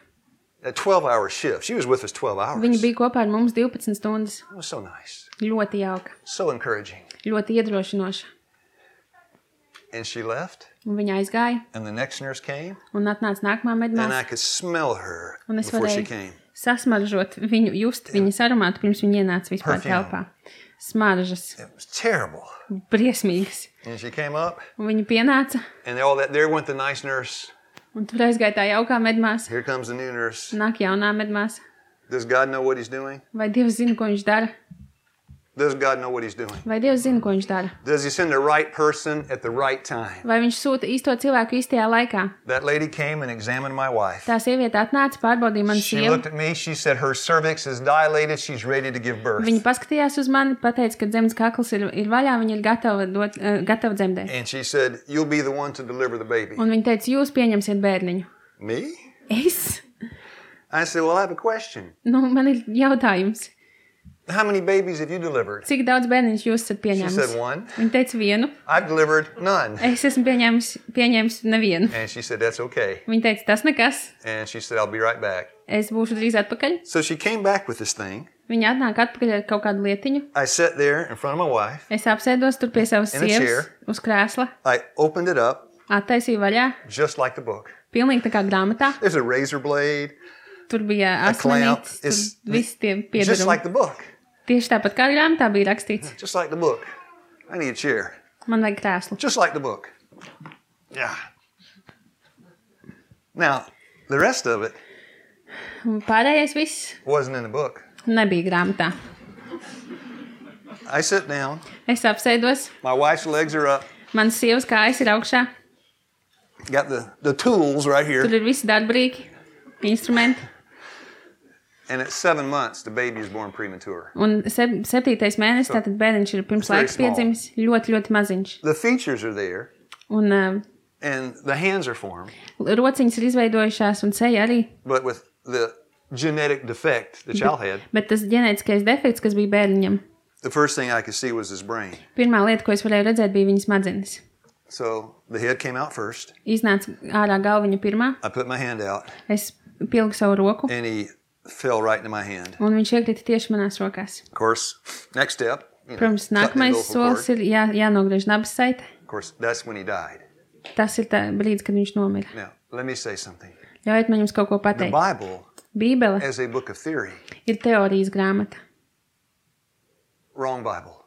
Speaker 1: A 12-hour shift. She was with us 12 hours.
Speaker 2: Viņa bija kopā ar mums 12 stundas.
Speaker 1: It was so nice.
Speaker 2: Ļoti jauka,
Speaker 1: So encouraging.
Speaker 2: ļoti iedrošinoša.
Speaker 1: And she left.
Speaker 2: Un viņa aizgāja,
Speaker 1: And the next nurse came.
Speaker 2: un atnāca nākamā
Speaker 1: And I
Speaker 2: medmāsa.
Speaker 1: could smell her
Speaker 2: Un es
Speaker 1: before she
Speaker 2: varēju
Speaker 1: came.
Speaker 2: sasmaržot viņu, just viņas aromātu, pirms viņa ienāca vispār
Speaker 1: Perfume.
Speaker 2: telpā. Smaržas,
Speaker 1: It was terrible.
Speaker 2: briesmīgas.
Speaker 1: And she came up.
Speaker 2: Un viņa pienāca,
Speaker 1: And all that. There went the nice nurse.
Speaker 2: un tur aizgāja tā jaukā medmāsa.
Speaker 1: Here comes the new nurse.
Speaker 2: Nāk jaunā medmāsa.
Speaker 1: Does God know what he's doing?
Speaker 2: Vai Dievs zina, ko viņš dara?
Speaker 1: Does God know what he's doing?
Speaker 2: Vai Dievs zina, ko viņš dara?
Speaker 1: Does he send the right person at the right time?
Speaker 2: Vai viņš sūta īsto cilvēku īstajā laikā?
Speaker 1: That lady came and examined my wife.
Speaker 2: Tā sieviete atnāca, pārbaudīja manu
Speaker 1: She
Speaker 2: sievu.
Speaker 1: looked at me. She said her cervix is dilated. She's ready to give birth.
Speaker 2: Viņa paskatījās uz mani, pateica, ka dzemdas kakls ir vaļā, viņa ir gatava dzemdēt.
Speaker 1: And she said, you'll be the one to deliver the baby.
Speaker 2: Un viņa teica, jūs pieņemsiet bērniņu.
Speaker 1: Me?
Speaker 2: Es?
Speaker 1: I said, well, I have a question.
Speaker 2: Nu, man ir jautājums.
Speaker 1: How many babies have you delivered?
Speaker 2: Cik daudz bērniņš jūs esat
Speaker 1: She
Speaker 2: pieņēmis?
Speaker 1: said, 1.
Speaker 2: Viņa teica vienu.
Speaker 1: I've delivered none.
Speaker 2: Es esmu pieņēmis nevienu.
Speaker 1: And she said, that's okay.
Speaker 2: Viņa teica, tas nekas.
Speaker 1: And she said, I'll be right back.
Speaker 2: Es būšu drīz atpakaļ.
Speaker 1: So she came back with this thing.
Speaker 2: Viņa atnāk atpakaļ ar kaut kādu lietiņu.
Speaker 1: I sat there in front of my wife.
Speaker 2: Es apsēdos tur pie savas
Speaker 1: In a
Speaker 2: sievas
Speaker 1: chair.
Speaker 2: uz krēsla.
Speaker 1: I opened it up
Speaker 2: Attaisīju vaļā.
Speaker 1: just like the book.
Speaker 2: Pilnīgi tā kā grāmatā.
Speaker 1: There's a razor blade,
Speaker 2: Tur bija
Speaker 1: a clamp.
Speaker 2: asmenītes, tur
Speaker 1: It's
Speaker 2: visi tie
Speaker 1: just
Speaker 2: piedarumi.
Speaker 1: like the book.
Speaker 2: Tieši tāpat kā grāmatā bija rakstīts.
Speaker 1: Just like the book. I need a chair.
Speaker 2: Man vajag krēslu.
Speaker 1: Just like the book. Yeah. Now, the rest of it
Speaker 2: Un pārējais viss
Speaker 1: wasn't in the book.
Speaker 2: nebija grāmatā.
Speaker 1: I sit down.
Speaker 2: Es apsēdos,
Speaker 1: My wife's legs are up.
Speaker 2: manas sievas kājas ir augšā.
Speaker 1: Got the tools right here.
Speaker 2: Tur ir visi darbrīki, instrumenti.
Speaker 1: And at 7 months, the baby is born premature.
Speaker 2: Un 7. mēnesis, tātad bērniņš ir pirms
Speaker 1: It's very
Speaker 2: laiks
Speaker 1: small.
Speaker 2: piedzimis, ļoti, ļoti maziņš.
Speaker 1: The features are there,
Speaker 2: Un
Speaker 1: and the hands are formed,
Speaker 2: rociņas ir izveidojušās un seja arī.
Speaker 1: but with the genetic defect the child had,
Speaker 2: Bet tas ģenētiskais defekts, kas bija bērniņam,
Speaker 1: the first thing I could see was his brain.
Speaker 2: pirmā lieta, ko es varēju redzēt, bija viņas smadzenes.
Speaker 1: So the head came out first.
Speaker 2: Iznāca ārā galviņa pirmā,
Speaker 1: I put my hand out,
Speaker 2: es pilgu savu roku,
Speaker 1: and he fell right into my hand.
Speaker 2: un viņš iekrita tieši manās rokās.
Speaker 1: Of course, next step,
Speaker 2: Protams,
Speaker 1: cutting the
Speaker 2: nākamais
Speaker 1: umbilical
Speaker 2: solis
Speaker 1: cord.
Speaker 2: ir jānogriež nabas saite.
Speaker 1: Of course, that's when he died.
Speaker 2: Tas ir tā brīdis, kad viņš nomira.
Speaker 1: Now, let me say something.
Speaker 2: Ļaujiet man jums kaut ko
Speaker 1: The
Speaker 2: pateikt.
Speaker 1: Bible,
Speaker 2: Bībele
Speaker 1: as a book of theory,
Speaker 2: ir teorijas grāmata.
Speaker 1: wrong Bible.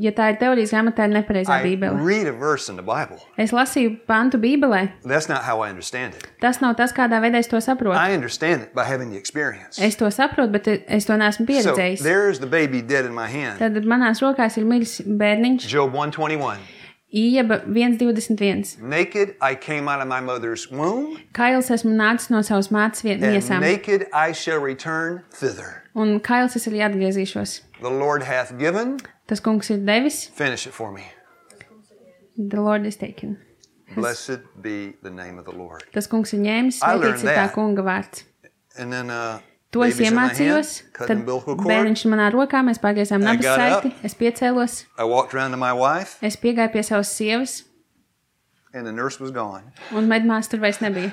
Speaker 2: Ja tā ir teorijas grāmata, tā ir nepareizā
Speaker 1: I
Speaker 2: Bībele.
Speaker 1: read a verse in the Bible.
Speaker 2: Es lasīju pantu Bībelē.
Speaker 1: That's not how I understand it.
Speaker 2: Tas nav tas, kādā veidā es to saprotu.
Speaker 1: I understand it by having the experience.
Speaker 2: Es to saprotu, bet es to neesmu
Speaker 1: So
Speaker 2: pieredzējis.
Speaker 1: there's the baby dead in my hand.
Speaker 2: Tad manās rokās ir miris bērniņš.
Speaker 1: Job 1:21.
Speaker 2: Ieba 1,21.
Speaker 1: Naked I came out of my mother's womb,
Speaker 2: Kails esmu nācis no savas mātes
Speaker 1: and
Speaker 2: miesām.
Speaker 1: naked I shall return thither.
Speaker 2: Un kails es arī atgriezīšos.
Speaker 1: The Lord hath given,
Speaker 2: Tas kungs ir devis.
Speaker 1: finish it for me.
Speaker 2: The Lord is taken.
Speaker 1: Blessed be the name of the Lord.
Speaker 2: Tas kungs ir ņēmis.
Speaker 1: I learned
Speaker 2: Svētīts ir tā
Speaker 1: that.
Speaker 2: kunga vārds.
Speaker 1: And then
Speaker 2: To es
Speaker 1: baby's in my hand,
Speaker 2: iemācījos.
Speaker 1: cut
Speaker 2: Tad
Speaker 1: the umbilical cord.
Speaker 2: bērniņš manā rokā, mēs pārgriezām nabas
Speaker 1: got
Speaker 2: saiti.
Speaker 1: up.
Speaker 2: Es piecēlos.
Speaker 1: I walked around to my wife,
Speaker 2: Es piegāju pie savas sievas.
Speaker 1: and the nurse was gone.
Speaker 2: Un medmās tur vairs nebija.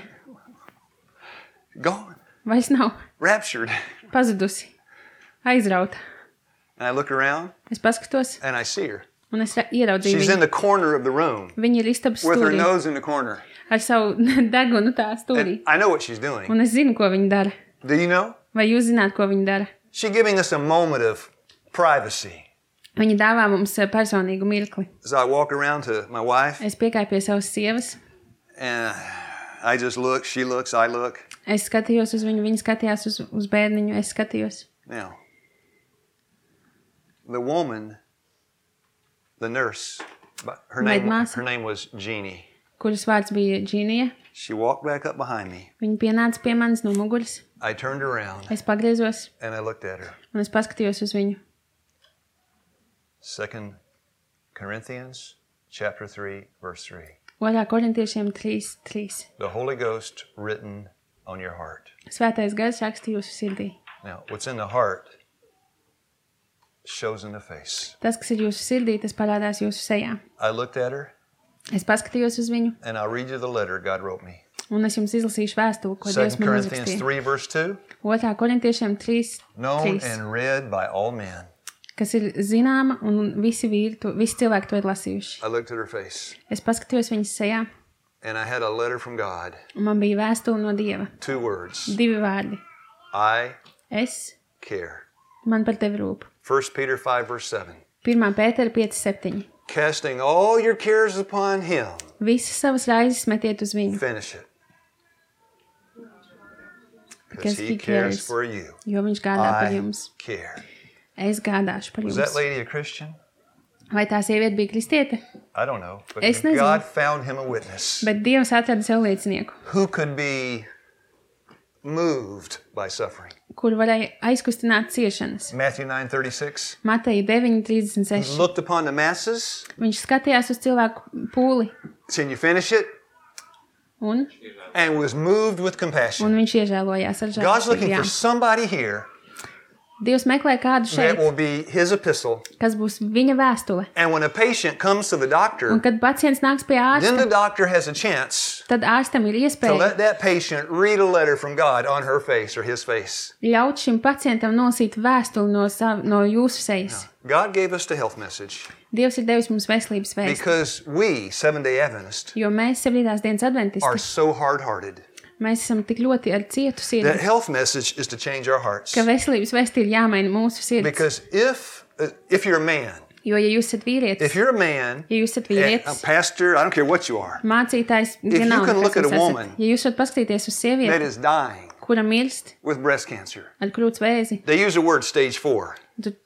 Speaker 1: Gone.
Speaker 2: vairs nav,
Speaker 1: raptured.
Speaker 2: pazudusi, aizrauta.
Speaker 1: And I look around
Speaker 2: Es paskatos,
Speaker 1: and I see her.
Speaker 2: un es ieraudzīju
Speaker 1: She's in
Speaker 2: viņu.
Speaker 1: the corner of the room
Speaker 2: Viņa ir istabas
Speaker 1: with her
Speaker 2: stūrī,
Speaker 1: nose in the corner.
Speaker 2: ar savu degunu tā stūrī.
Speaker 1: And I know what she's doing.
Speaker 2: Un es zinu, ko viņa dara.
Speaker 1: Do you know?
Speaker 2: Vai jūs zināt, ko viņa dara?
Speaker 1: She's giving us a moment of privacy.
Speaker 2: Viņa dāvā mums personīgu mirkli.
Speaker 1: As I walk around to my wife
Speaker 2: Es piekāju pie savas sievas.
Speaker 1: and I just look, she looks, I look.
Speaker 2: Es skatījos uz viņu, viņa skatījās uz bērniņu, es skatījos.
Speaker 1: Now, the woman, the nurse, her name was Jeannie.
Speaker 2: Kuras vārds bija Džīnija.
Speaker 1: She walked back up behind me.
Speaker 2: Viņa pienāca pie manis no muguras.
Speaker 1: I turned around
Speaker 2: Es pagriezos
Speaker 1: and I looked at her.
Speaker 2: un es paskatījos uz viņu.
Speaker 1: 2 Corinthians chapter 3, verse 3.
Speaker 2: 2. Korintiešiem 3:3.
Speaker 1: The Holy Ghost written on your heart.
Speaker 2: Svētais gars raksta jūsu sirdī.
Speaker 1: Now, what's in the heart shows in the face.
Speaker 2: Tas, kas ir jūsu sirdī, tas parādās jūsu sejā.
Speaker 1: I looked at her
Speaker 2: Es paskatījos uz viņu,
Speaker 1: and I'll read you the letter God wrote me.
Speaker 2: un es jums izlasīšu vēstuli, ko
Speaker 1: 2
Speaker 2: Dievs man
Speaker 1: Corinthians
Speaker 2: uzrakstīja.
Speaker 1: 3, verse 2.
Speaker 2: 2. Korintiešiem
Speaker 1: Known
Speaker 2: 3:3,
Speaker 1: and read by all men.
Speaker 2: kas ir zināma, un visi cilvēki to ir lasījuši.
Speaker 1: I looked at her face
Speaker 2: Es paskatījos viņas sejā,
Speaker 1: and I had a letter from God.
Speaker 2: un man bija vēstule no Dieva.
Speaker 1: 2 words.
Speaker 2: 2 vārdi.
Speaker 1: I
Speaker 2: Es,
Speaker 1: care.
Speaker 2: man par tevi rūp.
Speaker 1: 1 Peter 5, verse 7.
Speaker 2: 1. Pētera 5:7.
Speaker 1: Casting all your cares upon him.
Speaker 2: Visas savas raizes metiet uz viņu,
Speaker 1: Finish it.
Speaker 2: Because
Speaker 1: Because he
Speaker 2: he
Speaker 1: cares
Speaker 2: cares.
Speaker 1: for you.
Speaker 2: jo viņš gādā par
Speaker 1: I
Speaker 2: jums.
Speaker 1: care.
Speaker 2: Es gādāšu par
Speaker 1: Was
Speaker 2: jums.
Speaker 1: that lady a Christian?
Speaker 2: Vai tā sieviete bija kristiete?
Speaker 1: I don't know. But
Speaker 2: Es nezinu.
Speaker 1: God found him a witness
Speaker 2: Bet Dievs atrada sev liecinieku,
Speaker 1: who could be moved by suffering.
Speaker 2: kur varēja aizkustināt ciešanas.
Speaker 1: Matthew 9:36.
Speaker 2: Mateja
Speaker 1: He
Speaker 2: 9:36.
Speaker 1: looked upon the masses.
Speaker 2: Viņš skatījās uz cilvēku pūli
Speaker 1: Can you finish it?
Speaker 2: un
Speaker 1: And was moved with compassion.
Speaker 2: viņš iežēlojās ar
Speaker 1: God's looking for
Speaker 2: žēlastībām.
Speaker 1: somebody here
Speaker 2: Dievs meklē kādu
Speaker 1: that
Speaker 2: šeit,
Speaker 1: will be his epistle.
Speaker 2: kas būs viņa vēstule.
Speaker 1: And when a patient comes to the
Speaker 2: Un
Speaker 1: doctor,
Speaker 2: kad pacients nāks pie
Speaker 1: then the
Speaker 2: ārsta,
Speaker 1: doctor has a chance
Speaker 2: tad ārstam ir
Speaker 1: to
Speaker 2: iespēja
Speaker 1: let that patient read a letter from God on her face or his face.
Speaker 2: ļaut šim pacientam nosīt vēstuli no jūsu sejas.
Speaker 1: God gave us the health message
Speaker 2: Dievs ir devis mums veselības vēstu,
Speaker 1: because we, Seventh-day Adventists,
Speaker 2: jo mēs 7. dienas
Speaker 1: are
Speaker 2: adventisti,
Speaker 1: so hard-hearted.
Speaker 2: mēs esam tik ļoti ar cietu sirdi,
Speaker 1: That health message is to change our hearts.
Speaker 2: ka veselības vēsti ir jāmaina mūsu sirds.
Speaker 1: Because if you're a man,
Speaker 2: Jo, ja jūs esat vīrietis,
Speaker 1: if you're a man,
Speaker 2: ja jūs esat
Speaker 1: and a
Speaker 2: vīrietis,
Speaker 1: pastor, I don't care what you are,
Speaker 2: mācītājs,
Speaker 1: you
Speaker 2: vienalga,
Speaker 1: can look
Speaker 2: kas
Speaker 1: at a
Speaker 2: jūs esat,
Speaker 1: woman
Speaker 2: ja jūs varat paskatīties uz
Speaker 1: that
Speaker 2: sievieti,
Speaker 1: is dying
Speaker 2: kura mirst
Speaker 1: with breast cancer,
Speaker 2: ar krūts vēzi,
Speaker 1: they use the word stage 4.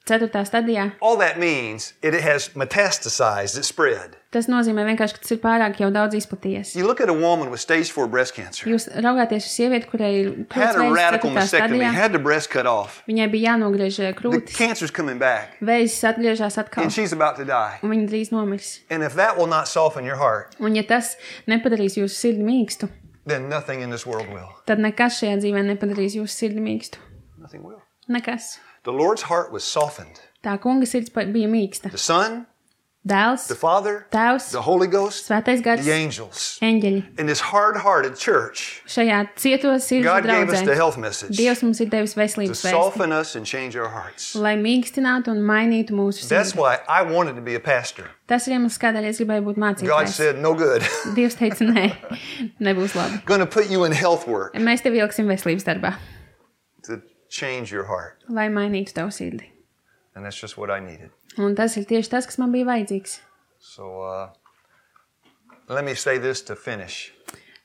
Speaker 2: 4. stadijā,
Speaker 1: All that means it has metastasized, it spread.
Speaker 2: tas nozīmē vienkārši, ka tas ir pārāk jau daudz izplatījies.
Speaker 1: You look at a woman with stage 4 breast cancer,
Speaker 2: Jūs raugāties uz sievieti, kurai ir
Speaker 1: had
Speaker 2: krūts
Speaker 1: a radical
Speaker 2: vēzis 4.
Speaker 1: mastectomy,
Speaker 2: stadijā,
Speaker 1: had the breast cut off.
Speaker 2: viņai bija jānogriež
Speaker 1: The
Speaker 2: krūtis,
Speaker 1: cancer's coming back,
Speaker 2: vēzis atgriežas atkal,
Speaker 1: and she's about to die.
Speaker 2: un viņa drīz nomirs.
Speaker 1: And if that will not soften your heart,
Speaker 2: Un ja tas nepadarīs jūsu sirdi mīkstu,
Speaker 1: then nothing in this world will.
Speaker 2: tad nekas šajā dzīvē nepadarīs jūsu sirdi mīkstu.
Speaker 1: Nothing will.
Speaker 2: Nekas.
Speaker 1: The Lord's heart was softened.
Speaker 2: Tā kunga sirds bija mīksta.
Speaker 1: The Son,
Speaker 2: Dēls,
Speaker 1: the Father,
Speaker 2: Tēvs,
Speaker 1: the Holy Ghost,
Speaker 2: Svētais gars,
Speaker 1: the angels.
Speaker 2: eņģeļi.
Speaker 1: In this hard-hearted church,
Speaker 2: Šajā cieto sirds
Speaker 1: God gave us the
Speaker 2: draudzē
Speaker 1: health message
Speaker 2: Dievs mums ir devis
Speaker 1: to
Speaker 2: veselības vēsti,
Speaker 1: soften us and change our hearts.
Speaker 2: lai mīkstinātu un mainītu mūsu
Speaker 1: That's
Speaker 2: sirdi.
Speaker 1: why I wanted to be a pastor.
Speaker 2: Tas ir iemesls, kādēļ es gribēju būt
Speaker 1: God
Speaker 2: mācītājs.
Speaker 1: said, no good.
Speaker 2: Dievs teica, nē, nebūs labi.
Speaker 1: Going to put you in health work
Speaker 2: Mēs tevi ieliksim veselības darbā,
Speaker 1: to change your heart.
Speaker 2: lai mainītu tavu sirdi.
Speaker 1: And that's just what I needed.
Speaker 2: Un tas ir tieši tas, kas man bija vajadzīgs.
Speaker 1: So let me say this to finish.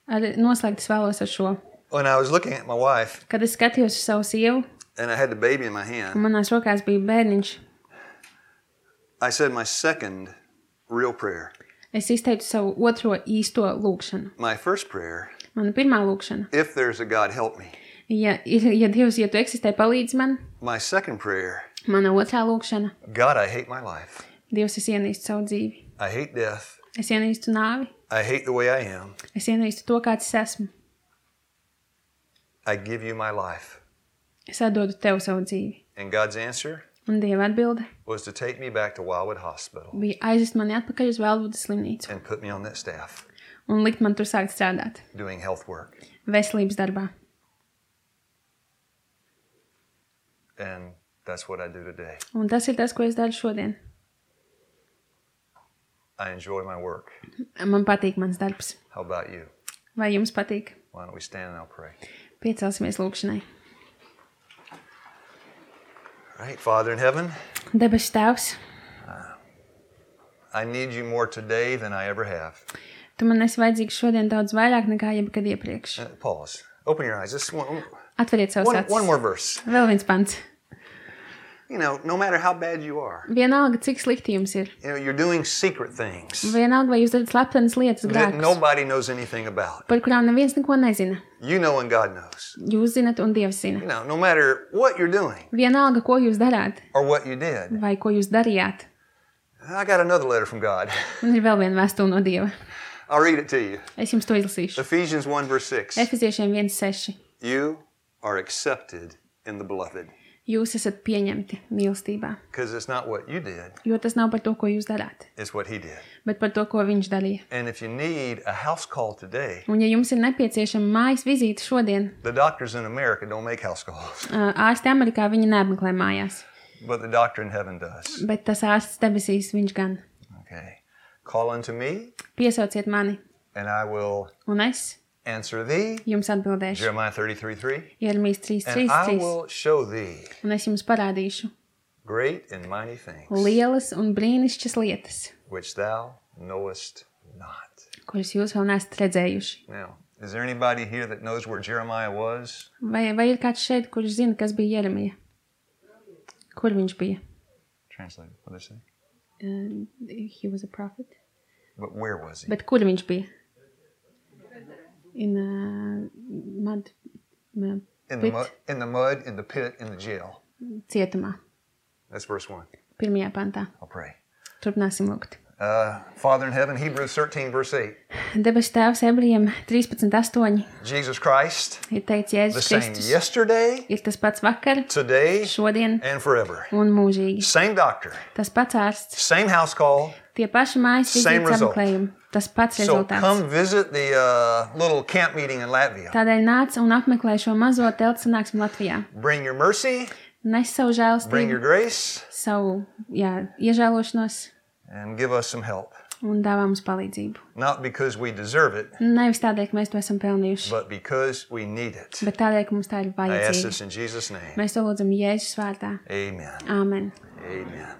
Speaker 2: Noslēgt es vēlos ar šo.
Speaker 1: When I was looking at my wife
Speaker 2: Kad es skatījos uz savu sievu,
Speaker 1: and I had the baby in my
Speaker 2: un
Speaker 1: hand,
Speaker 2: manās rokās bija bērniņš,
Speaker 1: I said my second real prayer.
Speaker 2: es izteicu savu otro īsto lūgšanu.
Speaker 1: My first prayer,
Speaker 2: Mana pirmā lūgšana.
Speaker 1: if there's a God, help me.
Speaker 2: Ja Dievs, ja tu eksistē, palīdz man.
Speaker 1: My second prayer,
Speaker 2: Mana otrā lūgšana.
Speaker 1: God, I hate my life.
Speaker 2: Dievs, es ienīstu savu dzīvi.
Speaker 1: I hate death.
Speaker 2: Es ienīstu nāvi.
Speaker 1: I hate the way I am.
Speaker 2: Es ienīstu to, kāds es esmu.
Speaker 1: I give you my life.
Speaker 2: Es atdodu tev savu dzīvi.
Speaker 1: And God's answer
Speaker 2: Un Dieva atbilde
Speaker 1: was to take me back to Wildwood Hospital
Speaker 2: bija aizvest mani atpakaļ uz Velvudas slimnīcu
Speaker 1: and put me on that staff
Speaker 2: un likt man tur sākt strādāt.
Speaker 1: doing health work.
Speaker 2: Veselības darbā.
Speaker 1: And that's what I do today.
Speaker 2: Un tas ir tas, ko es daru šodien.
Speaker 1: I enjoy my work.
Speaker 2: Man patīk mans darbs.
Speaker 1: How about you?
Speaker 2: Vai jums patīk?
Speaker 1: Why don't we stand and I'll pray?
Speaker 2: Piecelsimies lūkšanai.
Speaker 1: All right, Father in heaven,
Speaker 2: Debesu Tēvs,
Speaker 1: I need you more today than I ever have.
Speaker 2: tu man esi vajadzīgs šodien daudz vairāk nekā jebkad iepriekš.
Speaker 1: Pause. Open your eyes. Just
Speaker 2: Atveriet savus
Speaker 1: one
Speaker 2: acis.
Speaker 1: more verse.
Speaker 2: Vēl viens pants.
Speaker 1: You know, no matter how bad you are,
Speaker 2: Vienalga, cik slikti jums ir.
Speaker 1: you know, you're doing secret things
Speaker 2: Vienalga, vai jūs darat sleptenas lietas,
Speaker 1: that
Speaker 2: grēkus,
Speaker 1: nobody knows anything about.
Speaker 2: par kurām neviens neko nezina.
Speaker 1: You know and God knows.
Speaker 2: Jūs zinat un Dievs zina.
Speaker 1: You know, no matter what you're doing
Speaker 2: Vienalga, ko jūs darāt
Speaker 1: or what you did.
Speaker 2: vai ko jūs darījāt.
Speaker 1: I got another letter from God.
Speaker 2: Man ir vēl viena vēstule no Dieva.
Speaker 1: I'll read it to you.
Speaker 2: Es jums to izlasīšu.
Speaker 1: Ephesians 1 verse 6.
Speaker 2: Efeziešiem 1:6.
Speaker 1: You are accepted in the beloved.
Speaker 2: Jūs esat pieņemti mīlestībā,
Speaker 1: Because it's not what you did,
Speaker 2: jo tas nav par to, ko jūs darāt,
Speaker 1: it's what he did.
Speaker 2: bet par to, ko viņš darīja.
Speaker 1: And if you need a house call today,
Speaker 2: Un ja jums ir nepieciešama mājas vizīte šodien,
Speaker 1: the doctors in America don't make house calls,
Speaker 2: ārsti Amerikā viņi neapmeklē mājās,
Speaker 1: but the doctor in heaven does.
Speaker 2: bet tas ārsts debesīs viņš gan.
Speaker 1: Okay. Call unto me,
Speaker 2: Piesauciet mani,
Speaker 1: and I will
Speaker 2: un es
Speaker 1: answer thee.
Speaker 2: jums atbildēšu.
Speaker 1: Jeremiah 33:3.
Speaker 2: Jeremijas
Speaker 1: And I
Speaker 2: 3:3,
Speaker 1: will show thee
Speaker 2: un es jums parādīšu
Speaker 1: great and mighty things,
Speaker 2: lielas un brīnišķas lietas,
Speaker 1: which thou knowest not.
Speaker 2: kuras jūs vēl neesat redzējuši.
Speaker 1: Now, is there anybody here that knows where Jeremiah was?
Speaker 2: Vai ir kāds šeit, kurš zina, kas bija Jeremija? Kur viņš bija?
Speaker 1: Translate. What did it say?
Speaker 2: He was a prophet.
Speaker 1: But where was he?
Speaker 2: Bet kur viņš bija? In mud,
Speaker 1: In the
Speaker 2: pit,
Speaker 1: mud, in the mud, in the pit, in the jail.
Speaker 2: cietumā,
Speaker 1: That's verse 1.
Speaker 2: 1. pantā.
Speaker 1: I'll pray.
Speaker 2: Turpināsim lūgt.
Speaker 1: Father in heaven, Hebrews 13 verse 8.
Speaker 2: Debesu Tēvs Ebrejiem 13:8
Speaker 1: Jesus Christ,
Speaker 2: ir teicis
Speaker 1: the
Speaker 2: Jēzus
Speaker 1: same
Speaker 2: Kristus.
Speaker 1: yesterday,
Speaker 2: Ir tas pats vakar,
Speaker 1: today,
Speaker 2: šodien
Speaker 1: and forever.
Speaker 2: un mūžīgi.
Speaker 1: Same doctor,
Speaker 2: Tas pats ārsts,
Speaker 1: same house call.
Speaker 2: tie paši mājas
Speaker 1: Same
Speaker 2: vizītes
Speaker 1: result.
Speaker 2: apmeklējumi, tas pats
Speaker 1: So
Speaker 2: rezultāts.
Speaker 1: come visit the little camp meeting in Latvia.
Speaker 2: Tādēļ nāc un apmeklē šo mazo teltu sanāksmi Latvijā.
Speaker 1: Bring your mercy,
Speaker 2: Nes savu
Speaker 1: bring your
Speaker 2: žēlastību,
Speaker 1: grace,
Speaker 2: savu iežēlošanos
Speaker 1: and give us some help.
Speaker 2: un dāvā mums palīdzību.
Speaker 1: Not because we deserve it,
Speaker 2: Nevis tādēļ, ka mēs to esam pelnījuši,
Speaker 1: but because we need it.
Speaker 2: bet tādēļ, ka mums tā ir
Speaker 1: I ask
Speaker 2: vajadzīga.
Speaker 1: this in Jesus' name.
Speaker 2: Mēs to lūdzam Jēzus vārdā.
Speaker 1: Amen.
Speaker 2: Āmen.
Speaker 1: Amen.